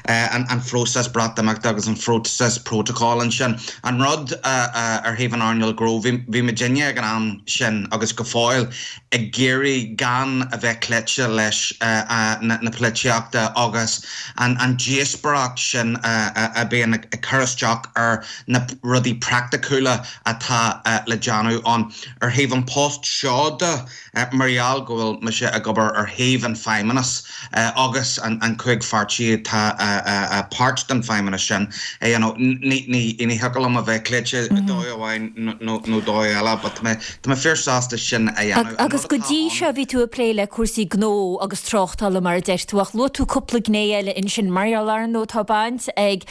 an phróiseas Breatimeachta agus an phróiseas prótacail ansin, an rud ar thaobh an earnáil gnó, bhí muidinne ag an am sin agus go fóill ag iarraidh gan a bheith cloíte leis na polaitíochta agus an díospóireacht sin a bhíonn ag cur isteach ar na rudaí praiticiúla atá le déanamh ann. Ar thaobh an post seo de, mar gheall go bhfuil mise ag obair ar thaobh an Feidhmeannas agus an 5 pháirtí atá páirt den Feidhmeannas sin, you know, ní thiocfadh liom a bheith cloíte dóigh amháin nó dóigh eile but tá mé tá mé fíor sásta sin a dhéanamh. Agus go dtí seo bhí tú ag plé le cúrsaí gnó agus tráchtála mar a deir tú ach luaigh tú cúpla gné eile ansin mar gheall ar ndóigh tá baint ag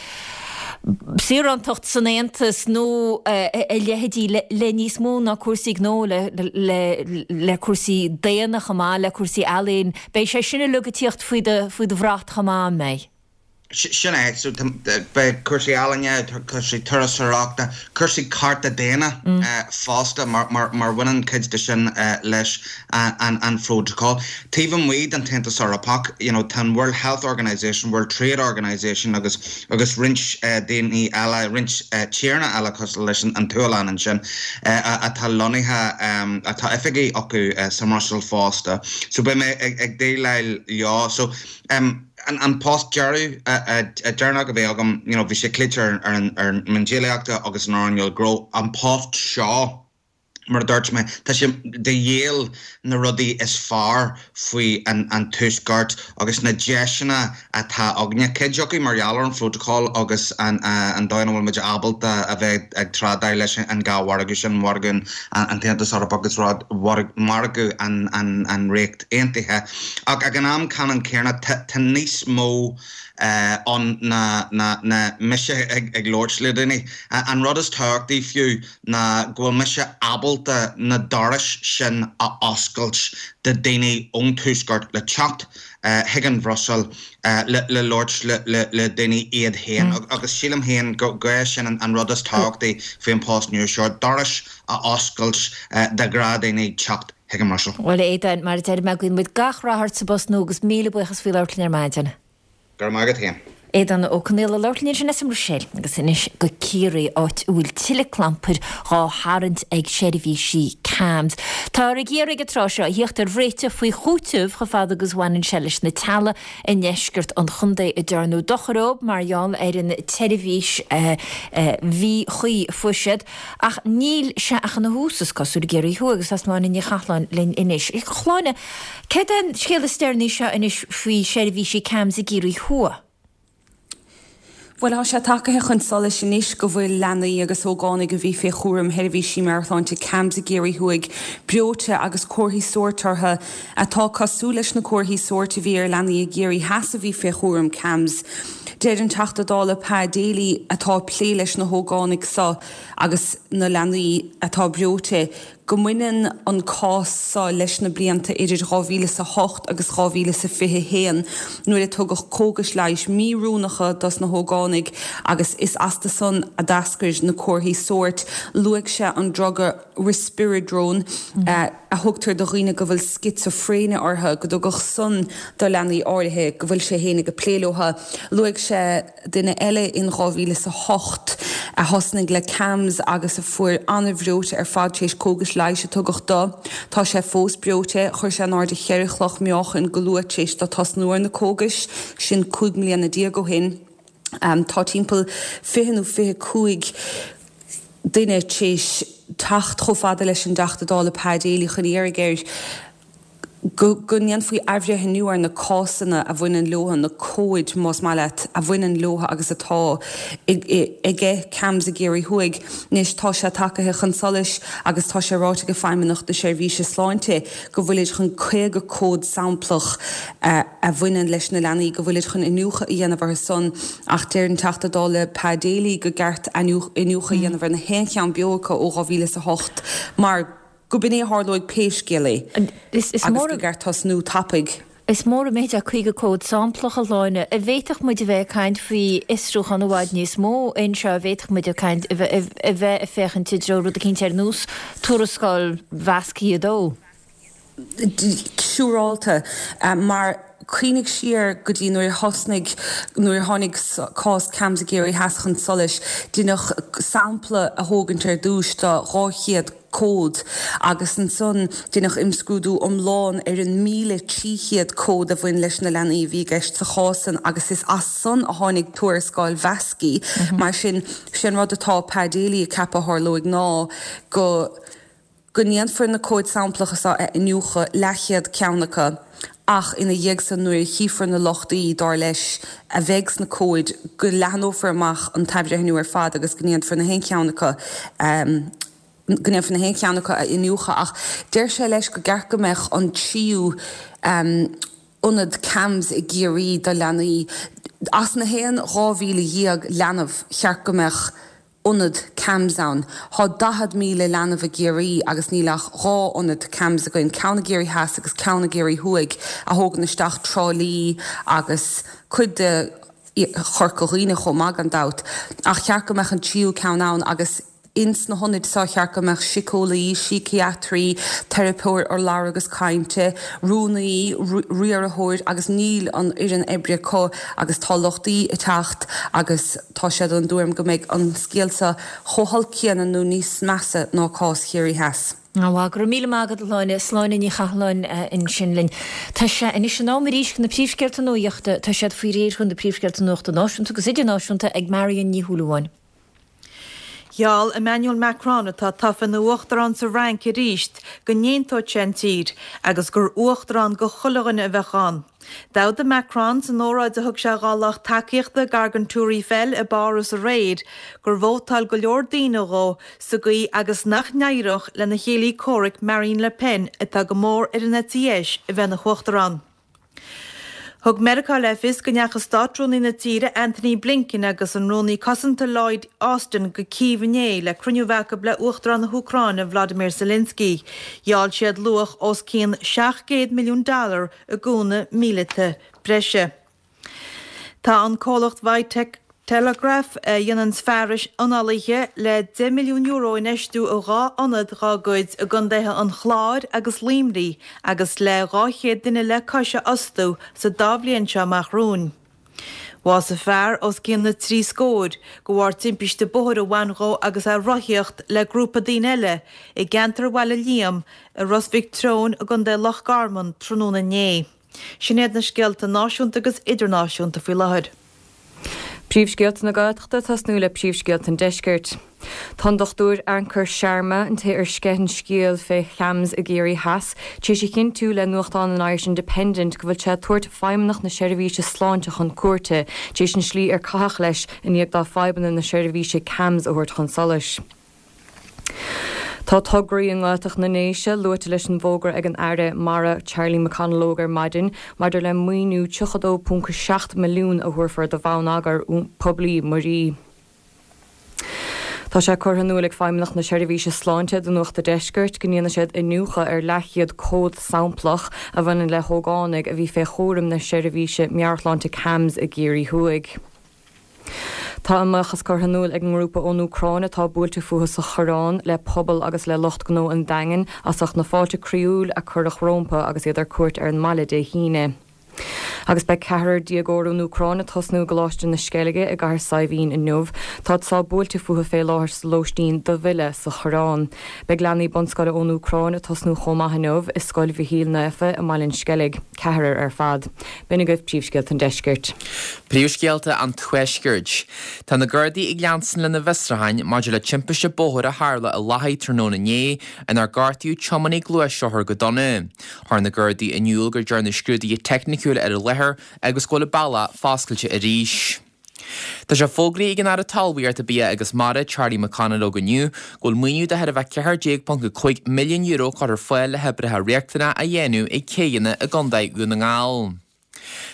saorántacht san Aontas nó a leithéidí le níos mó ná cúrsaí gnó, le cúrsaí daonna chomh maith, le cúrsaí ealaíon. Beidh sé sin uilig ag tíocht faoi do bhrat chomh maith, an mbeidh? Sin é. So beidh cúrsaí ealaíne, cúrsaí turasóireachta, cúrsaí cearta daonna fosta mar bhaineann cuid de sin leis an phrótacal. Taobh amuigh den tAontas Eorpach, you know, tá an World Health Organization, World Trade Organization agus agus roinnt daoine eile, roinnt tíortha eile cosúil leis an tSualainn ansin atá lonnaithe, atá oifigí acu sa mBruiséil fosta. So beidh mé ag déileáil leo. So an post deireadh, deireanach a bhí agam, you know, bhí sé cloíte ar an miondíolaíochta agus an earnáil gnó. An post seo, Mar a dúirt mé, tá sé de dhíol na rudaí is fearr faoi an Tuaisceart agus na deiseanna atá againne, cuid acu mar gheall ar an Phrótacal agus an dóigh ina bhfuil muid ábalta a bheith ag trádáil leis an dhá mhargadh sin, margadh an tAontas Eorpach agus margadh an Ríocht Aontaithe. Ach ag an am ceannann céanna, tá níos mó ann ná mise ag labhairt le daoine. An rud is tábhachtaí fiú, ná go bhfuil mise ábalta na dorais sin a oscailt do daoine ón Tuaisceart le teacht chuig an Bhruiséil le labhairt le daoine iad féin agus sílim féin go é sin an rud is tábhachtaí faoi an post nua seo, dorais a oscailt do ghnáthdhaoine teacht chuig an mBruiséil. Bhuel, a Aodáin, mar a deir mé, guíonn muid gach rath ort sa bpost nua agus míle buíochas faoi labhairt linn ar maidin. Go raibh maith agat féin. Aodán Ó Conaola ag labhairt linn ansin as an mBruiséil. Agus anois go Ciarraí, áit a bhfuil tuilleadh clampair dhá tharraingt ag seirbhísí CAMHS. Táthar ag iarraidh an tráth seo a thíocht ar réiteach faoi chúiteamh chomh fada agus a bhaineann sé leis na teaghlaigh i ndeisceart an chontae a dearnadh dochar dóibh mar gheall ar an tseirbhís mhíchuí a fuair siad. Ach níl sé ach ina thús, is cosúil, i gCiarraí Thuaidh agus tá Sláine Ní Chathalláin linn anois. A Shláine, Céard é an scéal is deireanaí seo anois faoi sheirbhísí CAMHS i gCiarraí Thuaidh? Bhuel, tá sé tagaithe chun solais anois go bhfuil leanaí agus ógánaigh a bhí fé chúram sheirbhísí meabhairshláinte CAMHS i gCiarraí Thuaidh breoite agus comharthaí sóirt orthu atá cosúil leis na comharthaí sóirt a bhí ar leanaí i gCiarraí Theas a bhí fé chúram CAMHS. Deir an Teachta Dála Pa Daly, atá ag plé leis na hógánaigh seo agus na leanaí atá breoite, go mbaineann an cás seo leis na blianta idir 2008 agus 2021 nuair a tugadh cógais leighis míoiriúnacha dos na hógánaigh agus is astu san a d'eascair na comharthaí sóirt. Luaigh sé an druga Risperidone a thugtar do dhaoine go bhfuil scitsifréine orthu, go dtugadh san do leanaí áirithe go bhfuil sé féin ag plé leo. Luaigh sé duine eile in 2008. a thosnaigh le CAMHS agus a fuair an-bhreoite ar fad tar éis cógais leighis a tugadh do. Tá sé fós breoite. Chuir sé in airde cheithre chloch meáchain go luath tar éis dó tosnú ar na cógais, sin 15 mbliana ó shin. Tá timpeall 20 nó 25 duine tar éis teacht chomh fada leis an dTeachta Dála Pa Daly chun iarraidh air go go ndéanfaí athbhreithniú ar na cásanna a bhaineann leo, na comhaid, más maith leat, a bhaineann leo agus atá aige CAMHS i gCiarraí Thuaidh. Anois tá sé tagaithe chun solais agus tá sé ráite ag Feidhmeannacht na Seirbhíse Sláinte go bhfuilid chun 50 comhad samplach a bhaineann leis na leanaí, go bhfuilid chun iniúchadh a dhéanamh orthu san ach deir an Teachta Dála Pa Daly go gceart iniúchadh a dhéanamh ar na haon cheann beo acu ó 2008 mar go b'in é a tharlóidh pé scéal é agus go gceart tosnú tapaidh. Is mór an méid é 50 comhad samplach, a Shláine. An bhféadfadh muid a bheith ag caint faoi fhiosrúchán i bhfad níos mó anseo, an bhféadfadh muid ag caint, a bheith ag féachaint i dtreo rud eicínt ar nós tuarascáil Mheascaí 2? Siúrálta, mar cuimhnigh siar go dtí nuair a thosnaigh, nuair a tháinig cás CAMHS i gCiarraí Theas chun solais, deineadh sampla a thógaint ar dtúis de 200 comhad agus ansan deineadh imscrúdú iomlán ar an 1,300 comhad a bhain leis na leanaí a bhí i gceist sa chás san agus is as san a tháinig tuarascáil Mheascaí. Mar sin, sé an rud atá Pa Daly ag ceapadh a tharlóidh ná go. go ndéanfar na comhaid samplacha seo a iniúchadh, leathchéad ceann acu, ach ina dhiaidh san nuair a chífear na lochtaí, dar leis, a bheidh sna comhaid, go leathnófar amach an t-athbhreithniú ar fad agus go ndéanfar na haon cheann acu, go ndéanfar na haon cheann acu a iniúchadh. Ach deir sé leis go gceart go mbeadh an tríú ionad CAMHS i gCiarraí do leanaí, as na haon 12,000 leanbh, cheart go mbeadh ionad CAMHS ann. Thá 40,000 leanbh i gCiarraí agus níl ach 2 ionad CAMHS againn, ceann i gCiarraí Theas agus ceann i gCiarraí Thuaidh a thógann isteach Trá Lí agus cuid de Chorca Dhuibhne chomh maith gan dabht. Ach cheart go mbeadh an tríú ceann ann agus ins na hionaid seo cheart go mbeadh síceolaí, síciatraí, teiripeoir urlabhra agus cainte, rúnaí, riarthóir agus níl an fhoireann oibre acu agus tá lochtaí ag teacht agus Tá siad den dtuairim go mbeidh an scéal seo chomh holc céanna nó níos measa ná cás Chiarraí Theas. Go raibh míle maith agat, a Shláine. Sláine Ní Chathalláin ansin linn. Tá sé anois in am arís do na príomhscéalta nuachta. Tá siad faoi réir chun na príomhscéalta nuachta náisiúnta agus idirnáisiúnta ag Marion Ní Shúilleabháin. Gheall Emmanuel Macron, atá tofa ina uachtarán sa Fhrainc arís, go n-aontódh sé an tír agus gur uachtarán go chuile dhuine a bheadh ann. D'fhógair Macron san óráid a thug sé dhá lucht tacaíochta gar don Tour Eiffel i bPáras aréir gur vótáil go leor daoine dhó sa gcaoi agus nach n-éireodh lena chéile comhraic Marine Le Pen, atá go mór ar an eite dheis, a bheith ina huachtarán. Thug Meiriceá le fios go ndeachaigh Státrúnaí na tíre Antony Blinken agus an Rúnaí Cosanta Lloyd Austin go Cív inné le cruinniú a bheith acu le Uachtarán na hÚcráine Volodymyr Zelensky. Gheall siad luach os cionn 700 milliún dollar i gcúnamh míleata breise. Tá an comhlacht Vitec Telegraph, a dhéananns fearais análaithe, le €10 milliún a infheistiú i 2 ionad dhá gcuid i gcontaetha an Chláir agus Luimnigh agus le 200 duine le cois a fhostú sa dá bhliain seo amach romhainn. Bhásaigh fear os cionn na dtrí scór de bharr timpiste bóthair a bhain dhó agus é ag rothaíocht le grúpa daoine eile i gceantar Bhaile Liam i Ros Mhic Treoin i gContae Loch Garman tráthnóna inné. Sin iad na scéalta náisiúnta agus idirnáisiúnta faoi láthair. Príomhscéalta na Gaeltachta ag tosnú le príomhscéalta an Deiscirt. Tá an Dr Ankur Sharma, an té ar sceith an scéal fé CAMHS i gCiarraí Theas, tar éis a chinntiú le nuachtán an Irish Independent go bhfuil sé ag tabhairt Feidhmeannacht na Seirbhíse Sláinte chun cúirte tar éis an slí ar caitheadh leis i ndiaidh dó fadhbanna na seirbhíse CAMHS a thabhairt chun solais. Tá tograí i nGaeltacht na nDéise luaite leis an bhfógra ag an Aire Mara Charlie McConalogue ar maidin maidir le maoiniú 32.7 milliún a thabharfar do bhonneagar poiblí muirí. Tá sé curtha in iúl ag Feidhmeannacht na Seirbhíse Sláinte do Nuacht a' Deiscirt go ndéanfaidh siad iniúchadh ar leathchéad comhad samplach a bhaineann le hógánaigh a bhí fé chúram na seirbhíse meabhairshláinte CAMHS i gCiarraí Thuaidh. Tá a mbuíochas curtha in iúl ag an ngrúpa ón Úcráin atá buailte fúthu sa Choireán le pobal agus le lucht gnó an Daingin as ucht na fáilte croíúil a cuireadh rómpa agus iad ar cuairt ar an mbaile Dé hAoine. Agus beidh ceathrar déagóir ón Úcráin ag tosnú i gColáiste na Sceilge i gCathair Saidhbhín inniu. Táid sách buailte fúthu fé láthair sa lóistín do mhilleadh sa Choireán. Beidh leanaí bunscoile ón Úcráin ag tosnú chomh maith inniu i Scoil Mhichíl Naofa i mBaile an Sceilg, ceathrar ar fad. B'in agaibh príomhscéalta an Deiscirt. Príomhscéalta an Tuaiscirt. Tá na Gardaí ag leanstan lena bhfiosrúcháin maidir le timpiste bóthair a tharla i Lathaigh tráthnóna inné inar gortaíodh tiománaí gluaisrothair go dona. Chuir na Gardaí in iúl go ndearnadh scrúduithe teicniciúil ar an láthair agus go bhfuil an bealach foscailte arís. Tá sé fógraithe ag an Aire Talmhaíochta, Bia agus Mara, Charlie McConalogue inniu go bhfuil maoiniú de chóir a bheith €14.5 milliún curtha ar fáil le hoibreacha riachtanacha a dhéanamh ag céidheanna i gContae Dhún na nGall.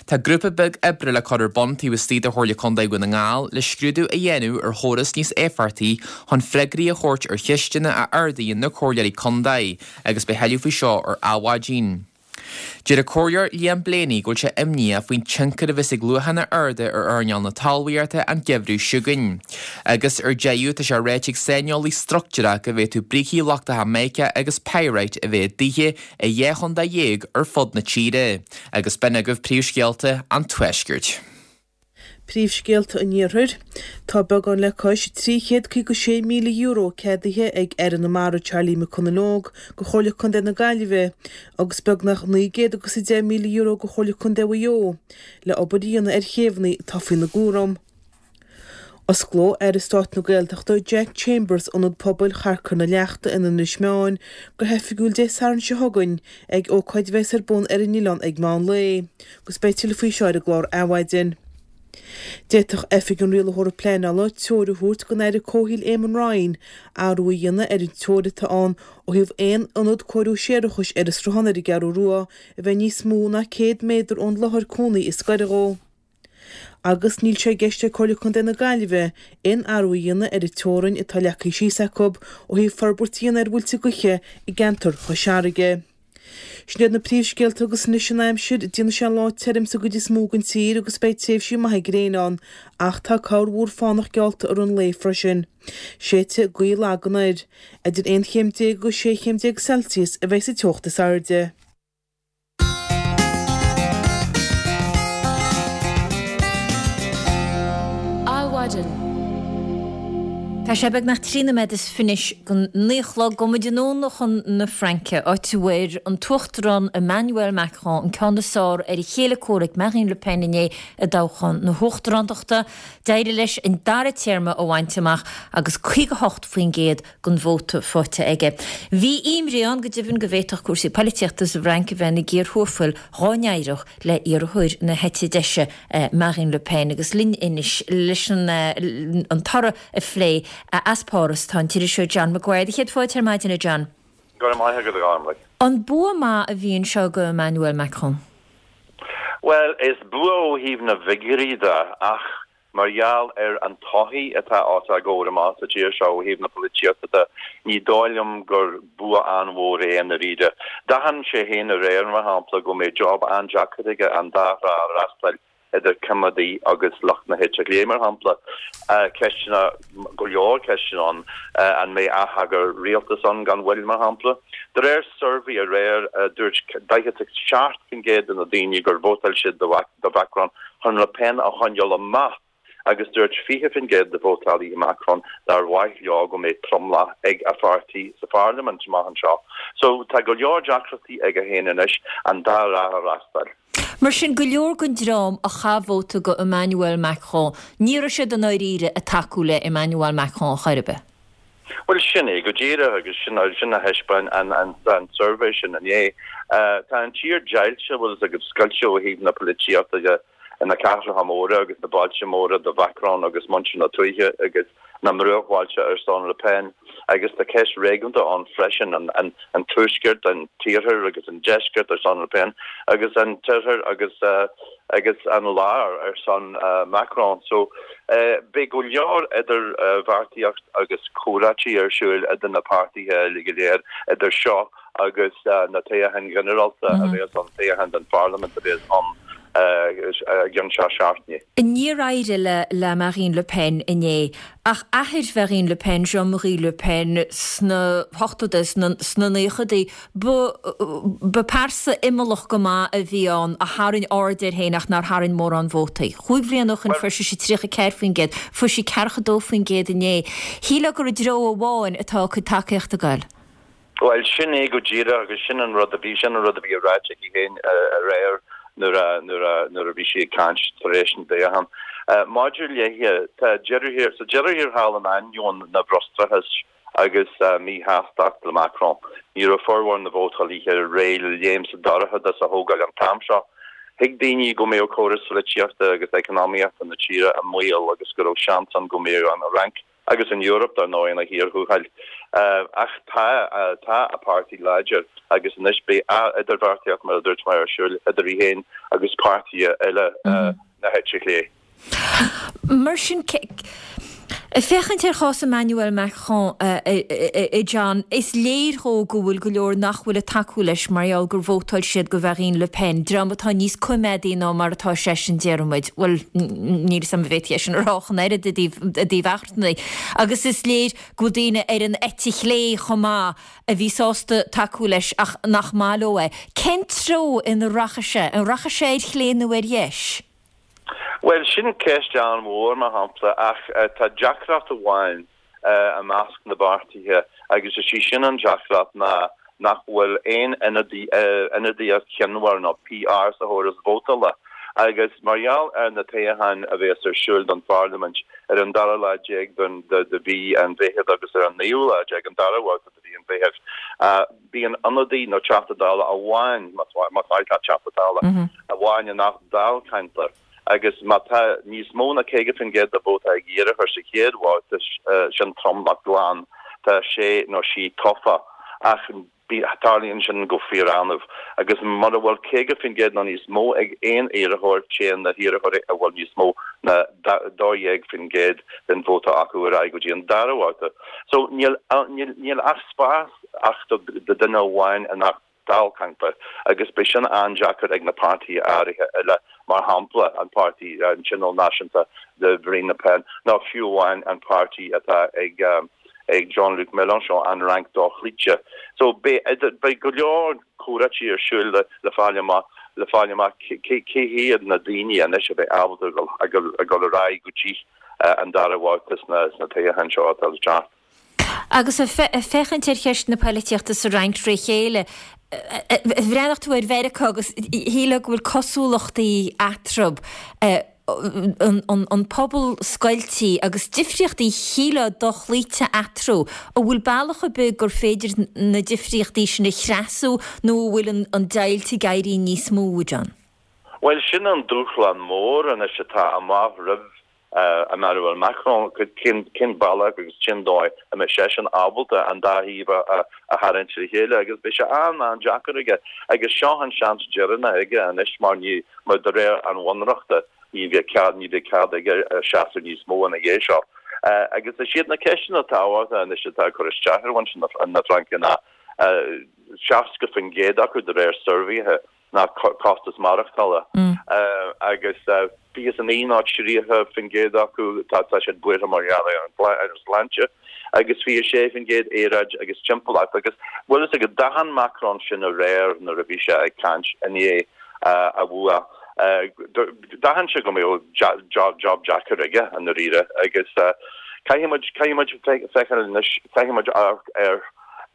Tá grúpa beag oibre le cur ar bun taobh istigh de Chomhairle Contae Dhún na nGall le scrúdú a dhéanamh ar chóras níos éifeachtaí chun freagraí a thabhairt ar cheisteanna a ardaíonn na comhairleoirí contae agus beidh tuilleadh faoi seo ar Adhmhaidin. Deir an Comhairleoir Liam Blaney go bhfuil sé imníoch faoin tionchar a bheas ag luachanna arda ar earnáil na talmhaíochta an geimhreadh seo chugainn. Agus ar deireadh tá sé ráite ag saineolaí struchtúrach go bhféadfadh brící lochtacha mica agus pyrite a bheith i dtithe i dheich chontae dhéag ar fud na tíre. Agus b'in agaibh príomhscéalta an Tuaiscirt. Príomhscéalta an Iarthair. Tá beagán le cois €356,000 ceadaithe ag Aire na Mara Charlie McConalogue go Chomhairle Contae na Gaillimhe agus beagnach €910,000 go Chomhairle Contae Mhaigh Eo le obair a dhéanamh ar chéibheanna atá faoina gcúram. Osclóidh Aire Stáit na Gaeltachta Jack Chambers Ionad Pobail Charcair na Leachta in Inis Meáin go hoifigiúil Dé Sathairn seo chugainn ag ócáid a bheas ar bun ar an oileán ag meán lae agus beidh tuilleadh faoi seo ar an gclár Adhmhaidin. D'fhéadfadh Oifig an Rialaitheora Pleanála treoir a thabhairt don Aire Comhshaoil Eamon Ryan athrú a dhéanamh ar an treoir atá ann ó thaobh aon ionad cóiriú séarachais ar an Sruthán ar an gCeathrú Rua a bheith níos mó ná 100 méadar ón láthair cónaí is gaire dhó. Agus níl sé i gceist ag Comhairle Contae na Gaillimhe aon athrú a dhéanamh ar an teorainn atá leagtha síos acu ó thaobh forbairt a dhéanamh ar mhuilte gaoithe i gceantar Chois Fharraige. Sin iad na príomhscéalta agus anois an aimsir, déanfaidh sé lá tirim sa gcuid is mó den tír agus beidh tréimhsí maithe gréine ann ach tá corrmhúr fánach geallta i rith an lae freisin. Séidfidh gaoth lag anoir. Idir 11 chéim agus 16 chéim Celsius a bheidh sa teocht is airde. Adhmhaidin. Tá sé beagnach 13 nóiméad is go 9 a chlog. Gabhfaidh muid anonn chun na Fraince, áit a bhfuair an tUachtarán Emmanuel Macron an ceann is fearr ar a chéile comhraic Marine Le Pen inné i dtoghchán na huachtarántachta. D'éirigh leis an dara téarma a bhaint amach agus 58% den vóta faighte aige. Bhí imní ann go deimhin go bhféadfadh cúrsaí poilitíochta sa bhFrainc a bheith ina gcíor thuathal dhá n-éireodh le iarrthóir na heite deise, Marine Le Pen. Agus linn anois leis an toradh a phlé as Páras tá an t-iriseoir John Maguire. Do chéad fáilte ar maidin, a John. Go raibh maith agat, a Ghormlaith. An bua maith a bhí anseo do Emmanuel Macron? Bhuel, is bua ó thaobh na bhfigiúirí de, ach Mar gheall ar an tsochaí atá os ár gcomhair amach sa tír seo ó thaobh na polaitíochta de, ní dóigh liom gur bua an-mhór é i ndáiríre. D'aithin sé féin aréir, mar shampla, go mbeidh job an-deacair aige an dá thrá a fhreastal, idir coimeádaigh agus lucht na heite clé, mar shampla. Ceisteanna, go leor ceisteanna ann, an mbeidh atheagar rialtais ann gan mhoill, mar shampla? De réir suirbhé aréir, dúirt 47% de na daoine gur vótáil siad do Mhacron chun Le Pen a choinneáil amach agus dúirt 20% de vótálaithe Macron nár mhaith leo go mbeadh tromlach ag a pháirtí sa pharlaimint amach anseo. So tá go leor deacrachtaí aige féin anois an dá thrá a fhreastal. Mar sin, go leor den dream a chaith vóta do Emmanuel Macron, ní raibh siad i ndáiríre ag tacú le Emmanuel Macron ar chor ar bith. Bhuel, sin é go díreach agus sin sin a thaispeáin an an suirbhé sin inné. Tá an tír deighilte, bhfuil fhios agat, scoilte ó thaobh na polaitíochta de ina cathracha móra agus na bailte móra do Mhacron agus muintir na tuaithe agus na mbruachbhailte ar son Le Pen agus tá ceist réigiúnda ann freisin, an an an tuaisceart, an t-iarthar agus an deisceart ar son Le Pen agus an t-oirthear agus agus an lár ar son Macron. So beidh go leor idirbheartaíocht agus comhráití ar siúl idir na páirtithe uilig go léir idir seo agus na toghcháin ghinearálta a bheas ann, toghcháin don pharlaimint a bheas ann. I gcionn seacht seachtainí. Níor éirigh le le Marine Le Pen inné, ach athair Mharine Le Pen, Jean-Marie Le Pen, sna hochtóidí, sna naochadaí, ba ba pearsa imeallach go maith a bhí ann a tharraing aird air féin ach nár tharraing mórán vótaí. Chúig bhliana ó shin fuair sise 34%, fuair sí 42% inné. Shílfeá gur i dtreo amháin atá a cuid tacaíochta ag goil. Bhuel, sin é go díreach agus sin an rud a bhí, sin an rud a bhí ráite aici féin aréir nuair a, nuair a, nuair a bhí sí ag caint tar éis an toghcháin. Maidir léithe, tá deireadh thiar, sa deireadh thiar thall in ainneoin na bhfrustrachais agus míshástacht le Macron, ní raibh formhór na vótálaithe réidh le léim sa dorchadas a thógáil an t-am seo. Thuig daoine go mbeadh córas pholaitíochta agus eacnamaíochta na tíre i mbaol agus go raibh seans ann go mbeadh an Fhrainc Agus an Eoraip, dar ndóigh, ina thír thuathail. Ach tá, tá a páirtí láidir agus anois beidh idirbheartaíocht, mar a dúirt mé, ar siúl idir í féin agus páirtithe eile na heite chlé. Mar sin, ag féachaint ar chás Emmanuel Macron, a John, is léir dhó go bhfuil go leor nach bhfuil ag tacú leis mar gheall gur vótáil siad do Mharine Le Pen, dream atá níos coimeádaí ná mar atá seisean, déarfaidh muid. Bhuel, níl 'fhios a'm an bhféadfaí é sin a rá ach an oiread i dtaobh achrannach. Agus is léir go bhfuil daoine ar an eite chlé chomh maith a bhí sásta tacú leis ach nach maith leo é. Cén treo ina rachaidh sé? An rachaidh sé ar chlé nó ar dheis? Bhuel, sin ceist an-mhór, mar shampla, ach tá deacracht amháin. i measc na bpáirtithe agus is í sin an deacracht ná nach bhfuil aon ionadaíocht chionmhar nó PR sa chóras vótála agus mar gheall ar na toghcháin a bheas ar siúl don pharlaimint ar an dara lá déag de mhí an Mheithimh agus ar an naoú lá déag, an dara babhta de mhí an Mheithimh, bíonn ionadaí nó Teachta Dála amháin, más maith leat Teachta Dála, amháin i ngach dáilcheantar. Agus má tá níos mó ná 50% de vóta ag iarrthóir sa chéad bhabhta, sin tromlach glan, tá sé nó sí tofa. Ach tarlaíonn sin go fíor-annamh. Agus mura bhfuil 50% nó níos mó ag aon iarrthóir, téann na hiarrthóirí a bhfuil níos mó ná 12% den vóta acu ar aghaidh go dtí an dara babhta. So níl ach spás ach do duine amháin i ngach dáilcheantar agus beidh sin an-deacair ag na páirtithe áirithe eile, mar shampla an páirtí, an Tionól Náisiúnta de Mharine Le Pen, nó fiú amháin an páirtí atá ag ag Jean-Luc Mélenchon, an Fhrainc Dhochloíte. So beidh idir, beidh go leor comhráití ar siúl le le fáil amach le fáil amach cé cé hiad na daoine anois a bheidh ábalta a dhul a dhul a dhul ar aghaidh go dtí an dara bhabhta sna sna toghcháin seo atá le teacht. Agus ag féachaint ar cheist na poilitíochta sa Fhrainc tré chéile, bhreathnaigh tú ar Mheiriceá agus shílfeá go bhfuil cosúlachtaí eatarthu, an pobal scoiltí agus difríochtaí shílfeá dochloíte eatarthu. An bhfuil bealach ar bith gur féidir na difríochtaí sin a chreasú nó an bhfuil an deighilt ag éirí níos mó, a John? Bhuel, sin an dúshlán mór anois atá amach roimh Emmanuel Macron, cén bealach agus cén dóigh a mbeidh seisean ábalta an dá thaobh a tharraingt le chéile agus beidh sé an-an-deacair aige agus seo an seans deireanach aige anois mar ní, mar de réir an bhunreachta ní bheidh cead, ní bheidh cead aige seasamh níos mó ina dhiaidh seo. Agus is iad na ceisteanna tábhachtacha anois atá ag cur isteach ar mhuintir na Fraince ná 60% acu de réir suirbhéithe, ná costas maireachtála agus 29 nó 30% acu tá siad buartha mar gheall ar an sláinte agus 26% aeráid agus timpeallacht agus bhfuil fhios agat d'aithin Macron sin aréir nuair a bhí sé ag caint i ndiaidh a bhua. D'aithin sé go mbeadh job deacair aige i ndáiríre agus caithfidh muid caithfidh muid féachaint anois caithfidh muid amharc ar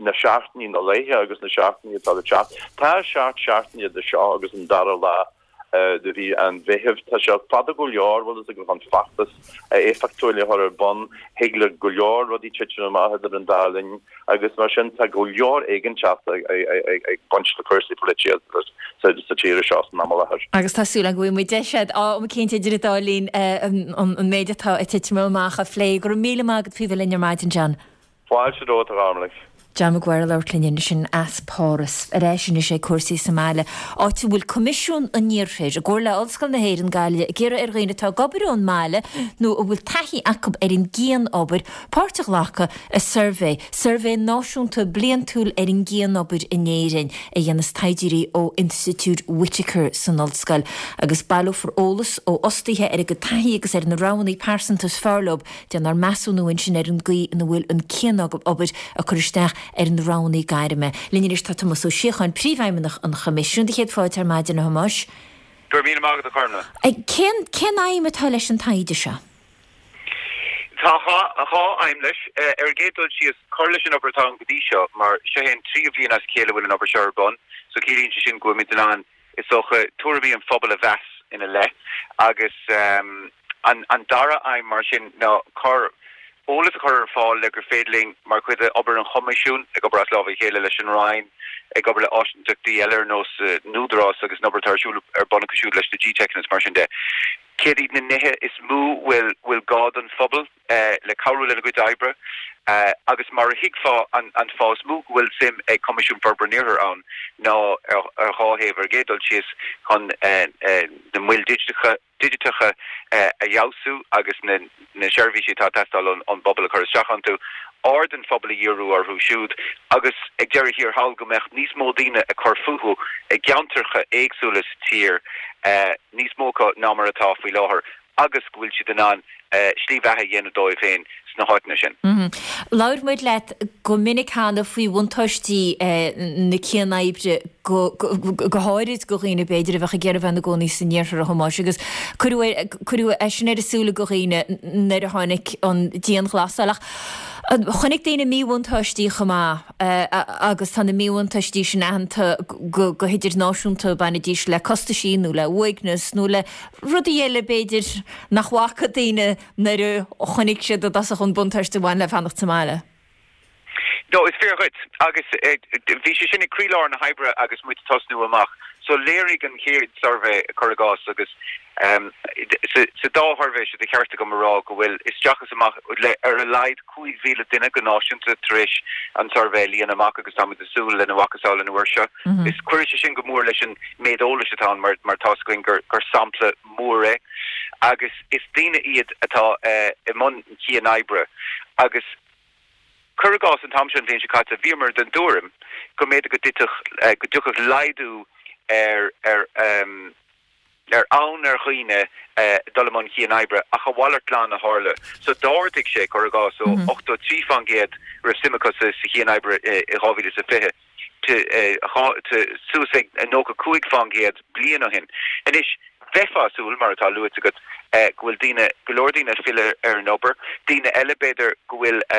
na seachtainí, na laetha agus na seachtainí atá le teacht. Tá seacht seachtaine idir seo agus an dara lá de mhí an Mheithimh. Tá sé fada go leor, bhfuil fhios agat, chun feachtas éifeachtúil a chur ar bun. Thig le go leor rudaí titim amach idir an dá linn agus mar sin tá go leor éiginnteachta ag baint le cúrsaí polaitíochta sa tír seo san am i láthair. Agus tá súil agam go bhfaighidh muid deis am eicínt idir an dá linn an méid atá ag titim amach a phlé. Go raibh míle maith agat faoi bheith linn ar maidin, John. Fáilte romhat, a Ghormlaith. John Maguire ag labhairt linn ansin as Páras. Ar ais anois ag cúrsaí sa mbaile, áit a bhfuil Coimisiún an Iarthair, i gcomhar le Ollscoil na hÉireann, Gaillimh, ag iarraidh ar dhaoine atá ag obair ón mbaile nó a bhfuil taithí acu ar an gcian-obair, páirt a ghlacadh i suirbhé, Suirbhé Náisiúnta Bliantúil ar an gCian-Obair in Éirinn, a dhéanas taighdeoirí ó Institiúid Whitaker san Ollscoil, agus baileofar eolas ó fhostaithe ar a gcuid taithí agus ar na roghanna pearsanta is fearr leo. Déanfar measúnú ansin ar an gcaoi ina bhfuil an cian-obair ag cur isteach ar na roghanna gairme. Linn anois tá Tomás Ó Síocháin, Príomhfheidhmeannach an Choimisiúin. Do chéad fáilte ar maidin, a Thomáis. Go raibh míle maith agat, a Chormna. Cén cén aidhm atá leis an taighde seo? Tá dhá aidhm leis. Ar an gcéad dul síos, cur leis an obair atá ann go dtí seo, mar seo é an tríú bhliain as a chéile a bhfuil an obair seo ar bun, so ciallaíonn sé sin go bhfuilimid in ann is dócha, tuairimí an phobail a mheas ina leith agus an dara aidhm mar sin ná cur, eolas a chur ar fáil le gur féidir linn, mar chuid d'obair an Choimisiúin, ag obair as lámha a chéile leis an Roinn, ag obair le áisinteachtaí eile ar nós an Údarás agus an obair atá ar siúl ar bun acu siúd leis na GTeiceanna is mar sin de. Céard iad na nithe is mó bhfuil bhfuil gá don phobal? le cabhrú lena gcuid oibre agus mar a thuigfeá an fáth is mó go bhfuil suim ag Coimisiún Forbartha an Iarthair ann ná ar dhá thaobh, ar an gcéad dul síos chun na moil digiteacha a fheabhsú agus na seirbhísí atá ag teastáil ón bpobal a chur isteach iontu, aird an phobail a dhíriú orthu siúd agus ag deireadh thiar thall go mbeadh níos mó daoine ag cur fúthu i gceantracha éagsúla sa tír, níos mó acu ná mar atá faoi láthair. agus go bhfuil siad in ann slí bheatha a dhéanamh dóibh féin sna háiteanna sin. Labhair muid leat go minic cheana faoi bhuntáistí na cian-oibre, go háirid do dhaoine, b'fhéidir, a bheadh ag iarraidh bheith ina gcónaí san iarthar, a Thomáis, agus cuireadh é sin ar a súile do dhaoine nuair a tháinig an dianghlasáil. Ach chonaic daoine míbhuntáistí chomh maith agus tá na míbhuntáistí sin aitheanta go hidirnáisiúnta, bainidís le costaisí nó le uaigneas nó le Rudaí eile, b'fhéidir, nach bhfaca daoine nuair a chonaic siad i dtosach an buntáiste a bhain le fanacht sa mbaile. No, is fíor dhuit. Agus bhí sé sin ag croílár na hoibre agus muid ag tosnú amach. So léirigh an chéad suirbhé, cuir i gcás, agus sa dá shuirbhé seo, de cheart agam a rá go bhfuil isteach is amach le ar a laghad 5,000 duine go náisiúnta tar éis an suirbhé a líonadh amach agus táimid ag súil lena mhacasamhail an uair seo. Is cuirfidh sé sin go mór leis an méid eolais atá ann mar mar tá's againn gur gur sampla mór é agus is daoine iad atá i mbun cian-oibre agus cuir i gcás an t-am seo an bhliain seo caite bhíomar den tuairim go mb'fhéidir go dtitfeadh go dtiocfadh laghdú ar ar ar fhonn ar dhaoine dul i mbun cian-oibre, ach a mhalairt glan a tharla. So d'ardaigh sé, cuir i gcás, ó 83% a raibh suim acu sa chian-oibre i 2020 suas ag 95% bliain ó shin. Anois, bheifeá ag súil, mar atá luaite agat, go bhfuil daoine, go leor daoine ag filleadh ar an obair, daoine eile, b'fhéidir, go bhfuil a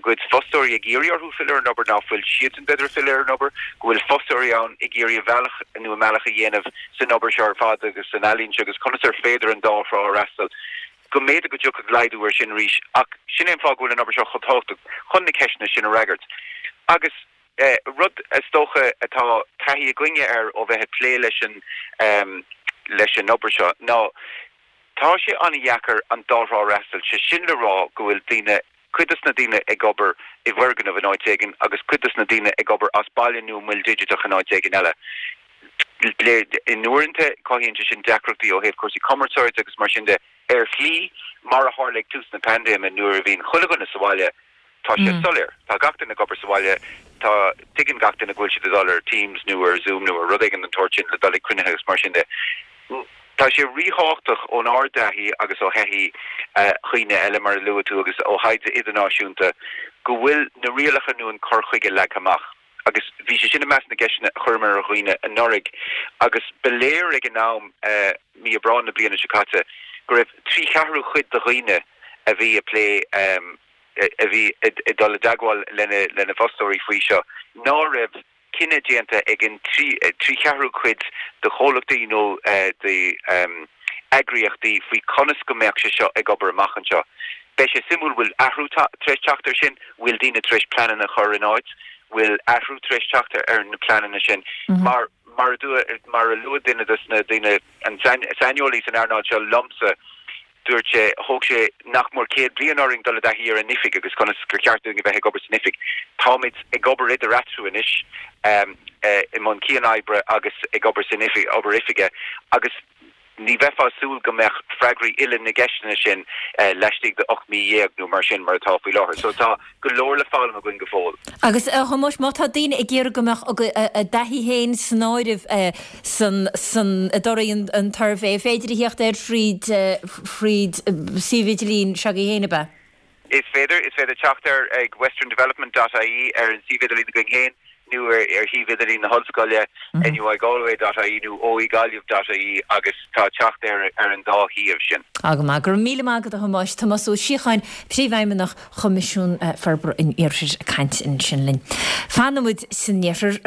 gcuid fostóirí ag iarraidh orthu filleadh ar an obair, ná fuil siadsan, b'fhéidir, ag filleadh ar an obair, go bhfuil fostóirí ann ag iarraidh a bhealach nó a mbealach a dhéanamh san obair seo ar fad agus san ealaín seo agus conas ar féidir an dá thrá a fhreastal. Go mb'fhéidir go dtiocfadh laghdú air sin arís ach sin é an fáth go bhfuil an obair seo chomh tábhachtach, chun na ceisteanna sin a fhreagairt. Agus rud, is dócha, atá taithí againne air ó bheith ag plé leis an leis an obair seo ná Tá sé an-dheacair an dá thrá a fhreastal, sé sin le rá go bhfuil daoine, cuid dos na daoine ag obair i bhfoirgneamh in áit éigin agus cuid dos na daoine ag obair as baile nó i moil digiteach in áit éigin eile. In uaireanta cothaíonn sé sin deacrachtaí ó thaobh cúrsaí cumarsáide agus mar sin de. Ar shlí, mar a tharla ag tús na paindéime nuair a bhí chuile dhuine sa bhaile, Tá sé soiléir. Tá gach duine ag obair sa bhaile. Tá, tuigeann gach duine go bhfuil siad ag dul ar Teams nó ar Zoom nó ar rud éigin den tsórt sin le dul ag cruinnithe agus mar sin de. Tá sé ríthábhachtach ónár dtaithí agus ó thaithí dhaoine eile, mar a luaigh tú, agus ó thaighde idirnáisiúnta, go bhfuil na rialacha nó an cur chuige leagtha amach. Agus bhí sé sin i measc na gceisteanna a chuireamar ar dhaoine anuraidh agus ba léir ag an am, mí Aibreáin na bliana seo caite, go raibh trí cheathrú chuid de dhaoine a bhí ag plé, a bhí ag dul i dteagmháil lena bhfostóirí faoi seo, ná raibh cinneadh déanta ag an trí cheathrú cuid de chomhlachtaí nó d'eagraíochtaí faoi conas go mbeadh sé seo ag obair amach anseo. Beidh sé suimiúil, bhfuil athrú tar éis teacht air sin? Bhfuil daoine tar éis pleananna a chur in áit? Bhfuil athrú tar éis teacht ar na pleananna sin? Mar mar a luaigh duine de na daoine, an saineolaí san earnáil seo liomsa, Dúirt sé, thóg sé nach mór 100 bliain orainn dul i dtaithí ar an oifig agus conas gur cheart dúinn a bheith ag obair san oifig. Táimid ag obair idir eatarthu anois, i mbun cian-oibre agus ag obair san oifig, obair oifige agus ní bheifeá ag súil go mbeadh freagraí uile na gceisteanna sin laistigh de 18 mí nó mar sin mar atá faoi láthair. So tá go leor le foghlaim againn go fóill. Agus a Thomáis, má tá daoine ag iarraidh go mbeadh a dtaithí féin san áireamh san, san, i dtorthaí an tsuirbhé, an féidir a theacht air thríd, thríd suíomh idirlín s'agaibh féin, ab ea? Is féidir. Is féidir teacht air ag westerndevelopment dot ie ar an suíomh idirlín againn féin nó ar shuíomh idirlín na hollscoile, nuigalway dot ie nó oegaillimh dot ie agus tá teacht air ar an dá shuíomh sin. Á go maith. Go raibh míle maith agat a Thomáis. Tomás Ó Síocháin, Príomhfheidhmeannach Choimisiún Forbartha an Iarthair ag caint ansin linn. Fanfaidh muid san Iarthar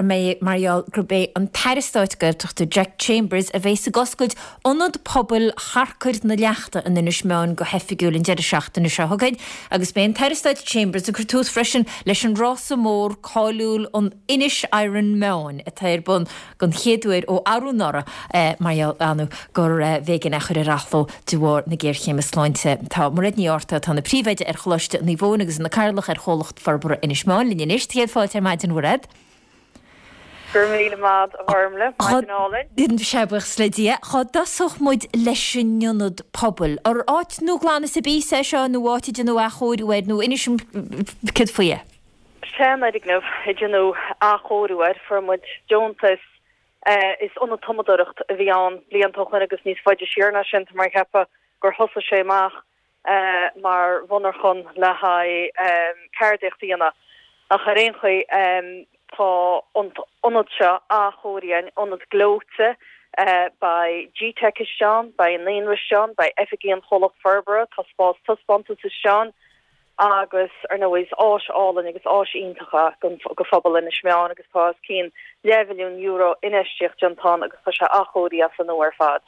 mar gheall gurb é an tAire Stáit Gaeltachta Jack Chambers a bheas ag oscailt Ionad Pobail Charcair na Leachta in Inis Meáin go hoifigiúil an deireadh seachtaine seo chugainn agus beidh an tAire Stáit Chambers ag cur tús freisin leis an rása mór cáiliúil an Inis Iron Meáin atá ar bun don chéad uair ó arú anuraidh mar gheall ar gur bh'éigean é a chur ar athló de bharr na géarchéime sláinte. Tá Mairéad Ní Fhátharta, atá ina príomhoide ar Choláiste Naomh Eoin agus ina cathaoirleach ar Chomhlacht Forbartha Inis Meáin linn anois. Céad fáilte ar maidin, a Mhairéad. Go raibh míle maith agat, a Ghormlaith. Maidin álainn. Sea, buíochas le Dia. Cá dtosódh muid leis an ionad pobail? Ar áit nua glan is ar bís é seo nó áit a déanadh athchóiriú air nó inis dom céard faoi é? Seanfhoirgneamh a déanadh athchóiriú air. Fuair muid deontas. Is ionad tumadóireachta a bhí ann blianta ó shoin agus níos faide siar ná sin, tá mé ag ceapadh gur thosaigh sé amach mar mhonarchan le haghaidh ceardaíocht a dhéanamh. Ach ar aon chaoi, tá an t-ionad seo athchóirithe againn, ionad gleoite, beidh G-Teic istigh ann, beidh an naíonra istigh ann, beidh oifigí an chomhlacht forbartha, tá spás taispeántais istigh ann agus, ar ndóigh, is áis álainn agus áis iontach é do phobal Inis Meáin agus tá os cionn leathmhilliún euro infheistíocht déanta ann agus tá sé athchóirithe as an nua ar fad.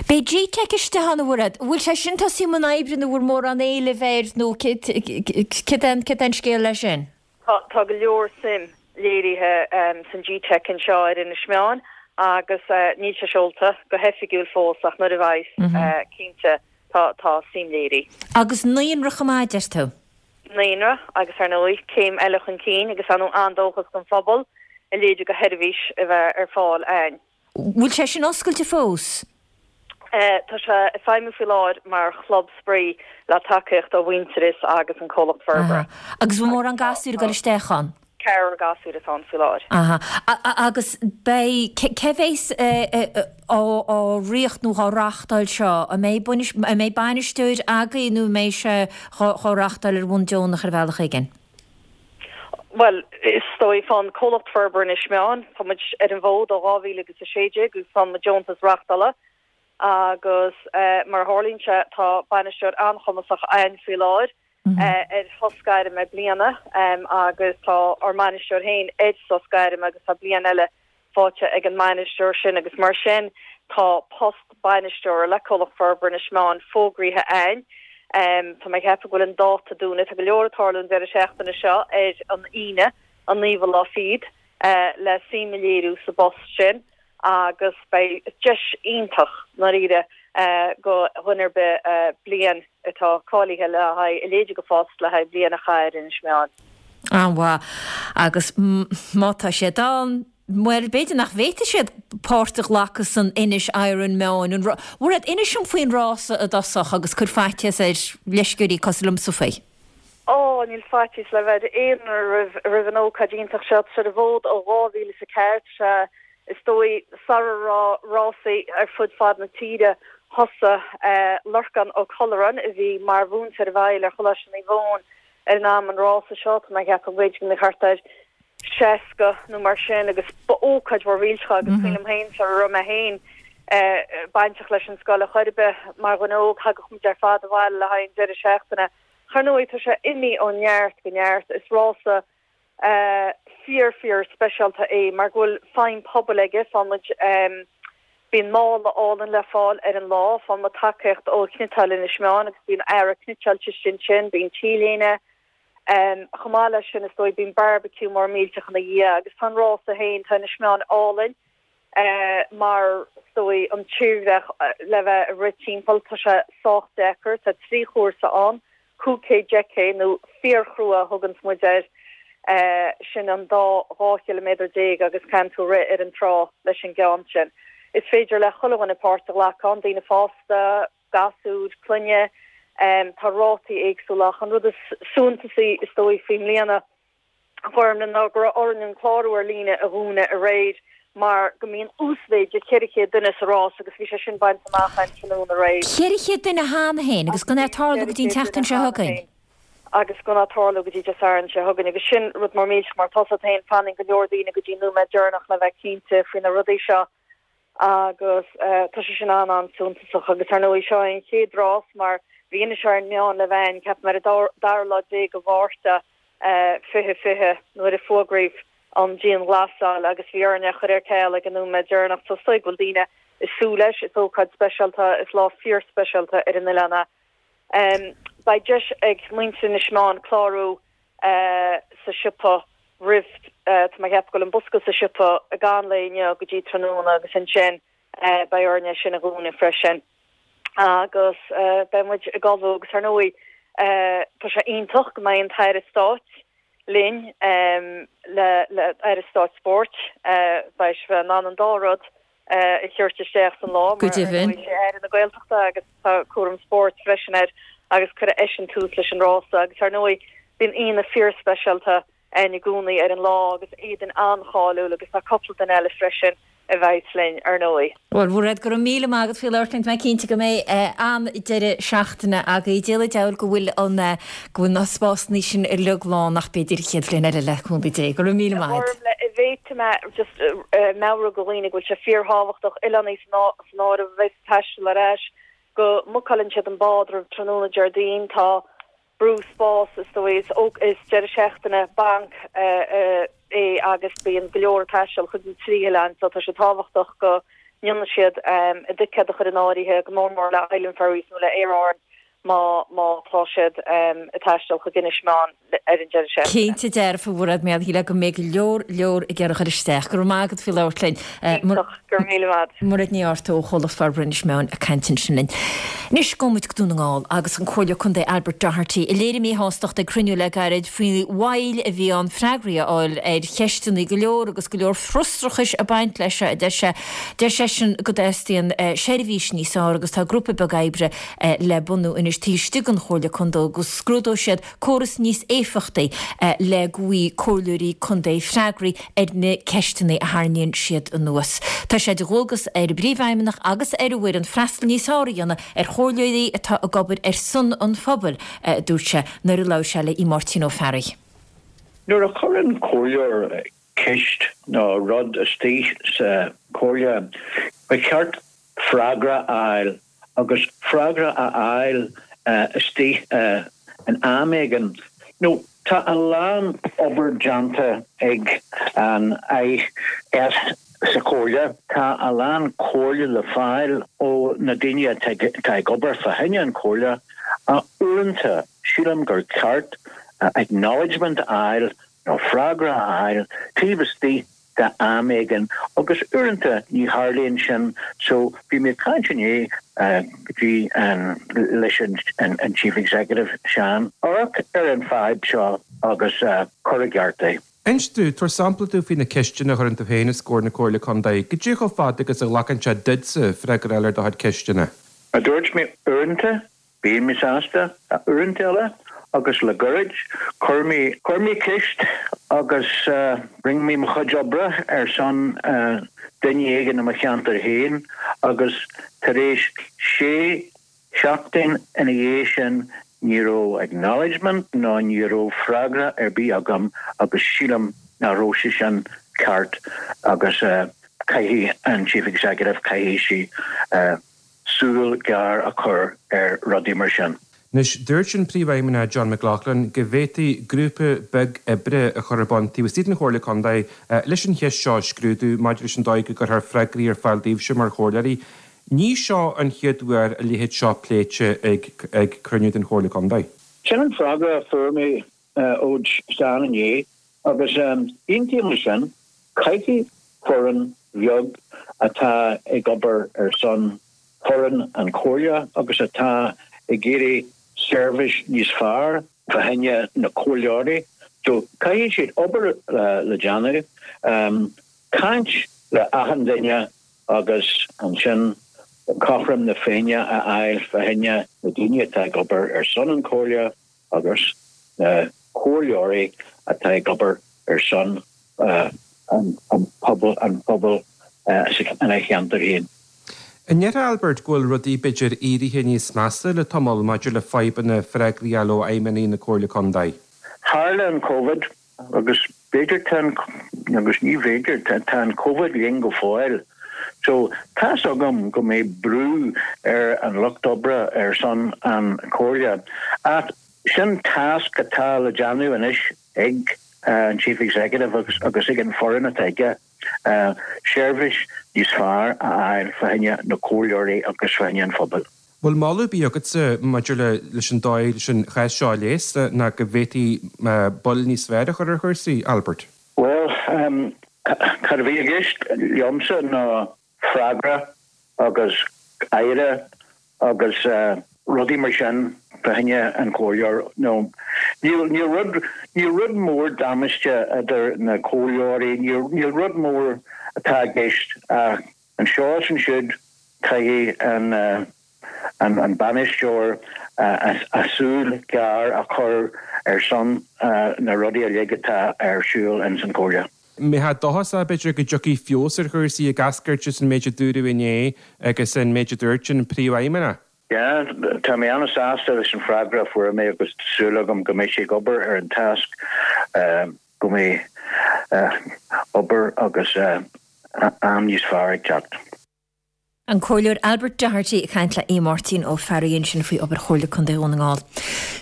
Beidh G-Teic istigh ann, a Mhairéad. An bhfuil sé sin tosaithe i mbun oibre nó bhfuil mórán éilimh air nó céard é an scéal leis sin? Tá go leor suim léirithe san G-Teic anseo ar Inis Meáin agus níl sé seolta go hoifigiúil fós ach nuair a bheidh, cinnte, tá suim léirithe. Agus naíonra chomh maith, deir tú? Naíonra agus ar ndóigh céim eile chun cinn agus ar ndóigh an-dóchas don phobal a leithéid de sheirbhís a bheith ar fáil a'inn. Bhfuil sé sin oscailte fós? Tá sé ag feidhmiú faoi láthair mar chlub spraoi le tacaíocht ó Mhuintearas agus an Comhlacht Forbartha. Aha. Agus bhfuil mórán gasúir ag dul isteach ann? Ceathrar gasúir atá ann faoi láthair. Aha. Agus beidh, cé bhéas á ritheacht nó dhá reachtáil seo? An mbeidh, an mbeidh bainisteoir agaibh nó an mbeidh sé dhá reachtáil ar bhonn deonach ar bhealach éigin? Bhuel, is dóigh, fán Comhlacht Forbartha Inis Meáin, tá muid ar an bhfód ó 2016 agus faigheann muid deontas reachtála agus mar a tharlaíonn sé, tá bainisteoir an-chumasach a'ainn faoi láthair ar shos gairme bliana agus tá ár mbainisteoir féin ar sos gairme agus tá bliain eile faighte ag an mbainisteoir sin agus mar sin tá post bainisteora le Comhlacht Forbartha Inis Meáin fógraithe a'ainn. Tá mé ag ceapadh go bhfuil an dáta dúnta. Tá go leor ag tarlú an deireadh seachtaine seo ar an Aoine, an naoú lá fichead, le suim a léiriú sa bpost sin agus beidh deis iontach, ndáiríre, go dhuine ar bith bliain atá cáilithe le haghaidh a leithéid de phost le haghaidh bliain a chaitheamh ar Inis Meáin. An-mhaith. Agus má tá siad ann, bhuel, b'fhéidir nach bhféadfaidh siad páirt a ghlacadh san Inis Iron Meáin. An Mhairéad, inis dom faoin rása i dtosach agus cuir faitíos ar leisceoirí cosúil liomsa faoi. Ó, níl faitíos le bheith ar aon duine roimh an ócáid iontach seo. Tá sé ar an bhfód ó 2004. Tá sé Is dóigh, sara raibh rásaí ar fud fad na tíre, thosaigh Lorcán Ó Colláin, a bhí mar mhúinteoir i bhfeighil ar Choláiste Naomh Eoin ar an am, an rása seo. Tá mé ag ceapadh b'fhéidir go mbeadh thart ar 60 nó mar sin agus ba ócáid mhór mhillteach é agus cuimhin liom féin sara raibh mé féin bainteach leis an scoil ar chor ar bith mar dhuine óg, thagadh muid ar fad abhaile le haghaidh an deireadh seachtaine. Ach ar ndóigh, tá sé imithe ó neart go neart. Is rása fíor fíor speisialta é mar go bhfuil feidhm pobail aige. Faigheann muid, bíonn mála álainn le fáil ar an lá, faigheann muid tacaíocht ó Chniotáil Inis Meáin agus bíonn earra cniotáilte istigh ansin, bíonn t-léine. Chomh maith leis sin is dóigh bíonn barbecue mór millteach ina dhiaidh agus tá an rása féin, tá Inis Meáin álainn. Mar is dóigh an tírdhreach le bheith ag rith timpeall, tá sé sách deacair. Tá 3 chúrsa ann, 5K, 10K nó fíorchrua a thuganns muid air, sin an dá 12 chiliméadar agus caitheann tú rith ar an trá leis an gceann sin. Is féidir le chuile dhuine páirt a ghlacadh ann, daoine fásta, gasúir, clainne. Tá rátaí éagsúla ach an rud is suntasaí is dóigh faoi mbliana, a Ghormfhlaith ná go raibh orainn an clárú ar líne a dhúnadh aréir mar go mbíonn uasmhéid de 400 duine sa rás agus bhí sé sin bainte amach againn tráthnóna aréir. 400 duine cheana féin agus gan é ag tarlú go dtí an tseachtain seo chugainn. Agus gan é ag tarlú go dtí Dé Sathairn seo chugainn agus sin rud mór millteach mar tá a fhios agat féin fanann go leor daoine go dtí an nóiméad deireanach le bheith cinnte faoi na rudaí seo. agus tá sé sin an-an-suntasach agus ar ndóigh seo é an chéad rás mar bhí Inis Meáin le bheith ann ceapaim ar an dara lá déag de Mhárta 2020 nuair a fuagraíodh an dianghlasáil agus bhí orainn é a chur ar ceal ag an nóiméad deireanach so is dóigh go bhfuil daoine ag súil leis, is ócáid speisialta, is lá fíorspeisialta ar an oileán é. Beidh deis ag muintir Inis Meáin clárú sa siopa roimh, tá mé ag ceapadh go bhfuil an bosca sa siopa i gcaitheamh an lae inniu go dtí tráthnóna agus ansin beidh orainn é sin a dhúnadh freisin agus beidh muid ag ullmhú agus ar ndóigh tá sé iontach go mbeidh an tAire Stáit linn le le Aire Stáit Spóirt beidh sé in ann an dá rud a thabhairt isteach san lá Go mar ar deimhin. ndóigh is é Aire na Gaeltachta agus tá cúram spóirt freisin air agus cuirfidh eisean tús leis an rása agus ar ndóigh bíonn aíonna fíorspeisialta ann i gcónaí ar an lá agus Éadaoin an-cháiliúil agus tá cúpla duine eile freisin a bheidhs linn ar ndóigh. Bhuel, Mhairéad, go raibh míle maith agat faoi labhairt linn. Tá mé cinnte go mbeidh an-deireadh seachtaine agaibh. Dia le deabhal go bhfuil an, go bhfuil na spásanna sin uilig lán ach b'fhéidir an chéad bhliain eile le cúnamh Dé. Go raibh míle maith agat. An bhféadfaidh mé just meabhrú do dhaoine go bhfuil sé fíorthábhachtach, oileánaigh san áireamh a bheidh ag taisteal ar ais, go mbucáileann siad an bád roimh tráthnóna Déardaoin. Tá brú spás is dóigh. Is is deireadh seachtaine bainc é agus bíonn go leor ag taisteal chuig na trí hoileán so tá sé tábhachtach go ndéanann siad a dticéad a chur in áirithe, go mór mór le Island Ferries nó le Aer Árann má má tá siad ag taisteal chuig Inis Meáin ar an deireadh seachtaine. Cinnte dearfa, a Mhairéad, mar shílfeá go mbeidh go leor leor ag iarraidh a chur isteach. Go raibh maith agat faoi labhairt linn. Iontach, go raibh míle maith. Mairéad Ní Fhátharta ó Chomhlacht Forbartha Inis Meáin ag caint ansin linn. Anois gabhfaidh muid go Dún na nGall agus an Comhairleoir Contae Albert Doherty a léirigh míshástacht ag cruinniú le gairid faoin mhoill a bhí ann freagraí a fháil ar cheisteanna go leor agus go leor frustrachais ag baint leis seo a deir sé. Deir seisean go dteastaíonn seirbhís níos fearr agus tá grúpa beag oibre le bunú anois taobh istigh den Chomhairle Contae go scrúdóidh siad córas níos éifeachtaí le go bhfaighidh comhairleoirí contae freagraí ar na ceisteanna a tharraingíonn siad anuas. Tá sé de dhualgas ar an bPríomhfheidhmeannach agus ar a bhfoireann freastal níos fearr a dhéanamh ar chomhairleoirí atá ag obair ar son an phobail, a dúirt sé nuair a labhair sé le Máirtín Ó Fearraigh. Nuair a chuireann comhairleoir ceist nó rud istigh sa chomhairle, ba cheart freagra a fháil agus freagra a fháil istigh in am éigin. Nó tá a lán obair déanta ag an IS sa chomhairle, tá a lán comhairle le fáil ó na daoine atá ag obair fá choinne an chomhairle ach uaireanta sílim gur ceart acknowledgement a fháil nó freagra a fháil taobh istigh de am éigin agus uaireanta ní tharlaíonn sin so bhí mé ag caint inné go dtí an leis an Chief Executive Seán amharc ar an fadhb seo agus cur i gceart é. Inis domh, tabhair sampla domh faoi na ceisteanna a chuireann tú féin os comhair na Comhairle Contae. Goidé chomh fada agus a ghlacann sé duitse freagra a fháil ar do chuid ceisteanna? Mar a dúirt mé uaireanta Bíonn mé sásta, uaireanta eile, agus le gairid, chuir mé, chuir mé ceist agus rinne mé mo chuid oibre ar son duine éigin i mo cheantar féin agus tar éis sé sheachtain ina dhiaidh sin ní raibh acknowledgement ná ní raibh freagra ar bith agam agus sílim nach raibh sé sin ceart agus caithfidh an Chief Executive, caithfidh sí súil ghéar a chur ar rudaí mar sin. Anois, dúirt an Príomhfheidhmeannach John McLaughlin go bhféadfaí grúpa beag oibre a chur ar bun taobh istigh den Chomhairle Contae leis an cheist seo a scrúdú maidir leis an dóigh go gcuirfear freagraí ar fáil daoibhse mar chomhairleoirí. Ní seo an chéad uair a leithéid seo pléite ag cruinniú den Chomhairle Contae. Sin an freagra a fuair mé ó Seán inné agus aontaím leis sin, caithfidh foireann bheag. atá ag obair ar son foireann an Chomhairle agus atá ag iarraidh seirbhís níos fearr fá choinne na comhairleoirí. So caithfidh siad obair le déanamh, caint le achan duine agus ansin cothrom na Féinne a fháil fá choinne na daoine atá ag obair ar son an Chomhairle agus na comhairleoirí atá ag obair ar son an pobal an pobal ina cheantar féin. An ndéarfá, Albert, go bhfuil rudaí b'fhéidir éirithe níos measa le tamall maidir le fadhbanna freagraí a fháil ó fheidhmeannaigh na Comhairle Contae? Tharla an Covid agus b'fhéidir tá an, agus ní bh'fhéidir, tá an Covid linn go fóill. So tá's agam go mbeidh brú ar an lucht oibre ar son an Chomhairle ach sin tasc atá le déanamh anois ag an Chief Executive agus agus ag an foireann atá aige. seirbhís níos fearr a fháil fá choinne na comhairleoirí agus fá choinne an phobail. Bhfuil moladh ar bith agatsa maidir le leis an dóigh leis an chás seo a leigheas ná go bhféadfaí bail níos fearr a chur ar chúrsaí, Albert? Bhuel, cad a bhí i gceist liomsa ná freagra agus aire agus rudaí mar sin fá choinne an chomhairleoir nó níl níl rud níl rud mór damáiste idir na comhairleoirí níl níl rud mór atá i gceist ach anseo is ansiúd caithfidh an an an bainisteoir a súil ghearr a chur ar son na rudaí uilig atá ar siúl ins an chomhairle. Mbeifeá dóchasach, b'fhéidir, go dtiocfaidh feabhas ar chúrsaí ag eascairt as an méid a dúradh inné agus an méid a dúirt an Príomhfheidhmeannach? Yeah, tá mé an-sásta leis an freagra a fuair mé agus tá súil agam go mbeidh sé ag obair ar an tasc, go mbeidh obair agus am níos fearr ag teacht. An Comhairleoir Albert Doherty ag caint le Aodh Máirtín Ó Fearraigh ansin faoi obair Chomhairle Contae Dhún na nGall.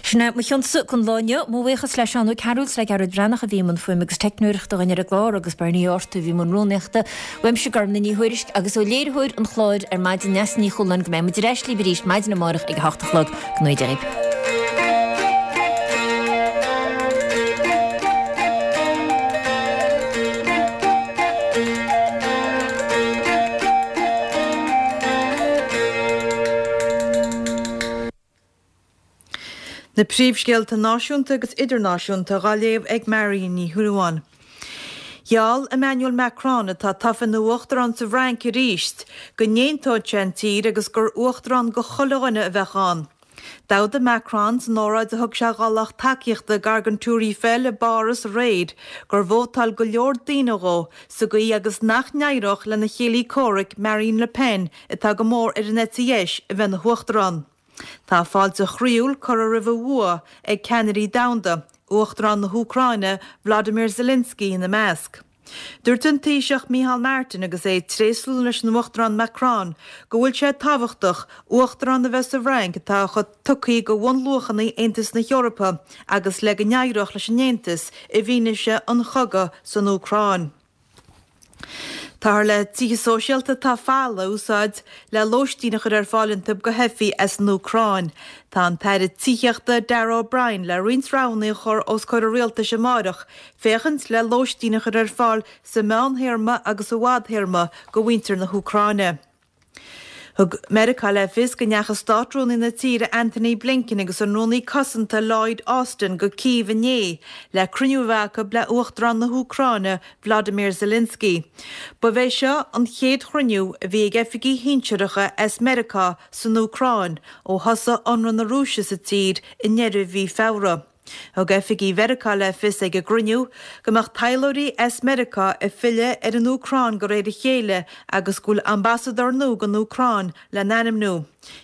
Sin é mo chionsa don lá inniu. Mo bhuíochas le Seán Ó Cearúil is le Gearóid Breathnach a bhí i mbun fuaime agus teicneoireachta dhúinn ar an gclár agus Bernie Ó Arta a bhí i mbun rúnaíochta. Uaimse Gormfhlaith Ní Thuairisg agus ó léiritheoir an chláir ar maidin Neasa Ní Chualáin go mbeidh muid ar ais libh arís maidin amárach ag a hocht a chlog. Go ngnóthaí Dia dhaoibh. Na príomhscéalta náisiúnta agus idirnáisiúnta dhá léamh ag Marion Ní Shúilleabháin. Gheall Emmanuel Macron, atá tofa ina uachtarán sa bhFrainc arís, go n-aontódh sé an tír agus gur uachtarán go chuile dhuine a bheadh ann. D'fhógair Macron san óráid a thug sé dhá lucht tacaíochta ag gar don Tour Eiffel i bPáras aréir gur vótáil go leor daoine dhó sa gcaoi agus nach n-éireodh lena chéile comhraic Marine Le Pen atá go mór ar an eite dheis a bheith ina huachtarán. Tá fáilte chroíúil curtha roimh a bhua ag ceannairí domhanda, Uachtarán na hÚcráine Volodymyr Zelensky ina measc. Dúirt an Taoiseach Micheál Martin agus é ag tréaslú leis an Uachtarán Macron go bhfuil sé tábhachtach uachtarán a bheith sa bhFrainc atá chomh tugtha do bhunluachanna Aontas na hEorpa agus le go n-éireodh leis an Aontas i bhfianaise an chogaidh san Úcráin. Táthar le tithe sóisialta atá folamh a úsáid le lóistín a chur ar fáil iontu do theifigh as an Úcráin. Tá an tAire Tithíochta Darragh O'Brien le roinnt roghanna a chur os comhair an Rialtais amáireach féachaint le lóistín a chur ar fáil sa mheánthéarma agus sa bhfadthéarma do mhuintir na hÚcráine. Thug Meiriceá le fios go ndeachaigh Státrúnaí na tíre Antony Blinken agus an Rúnaí Cosanta Lloyd Austin go Cív inné le cruinniú a bheith acu le Uachtarán na hÚcráine Volodymyr Zelensky. Ba é seo an chéad chruinniú a bhí ag oifigigh shinsearacha as Meiriceá san Úcráin ó thosaigh ionradh na Rúise sa tír i ndeireadh mhí Feabhra. Thug oifigigh Mheiriceá le fios ag an gcruinniú go mbeadh taidhleoirí as Meiriceá ag filleadh ar an Úcráin de réir a chéile agus go bhfuil ambasadóir nua don Úcráin le n-ainmniú.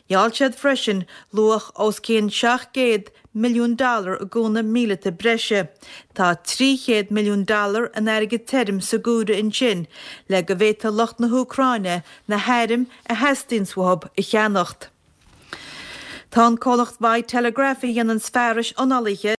Gheall siad freisin luach os cionn 700 milliún dollar i gcúnamh míleata breise. Tá 300 milliún dollar in airgead tirim sa gcomhaireamh ansin le go bhféadfadh lucht na hÚcráine na hairm a theastaíonns uathu a cheannacht. Tá an comhlacht Bitelegraph a dhéananns fearais ionálaithe.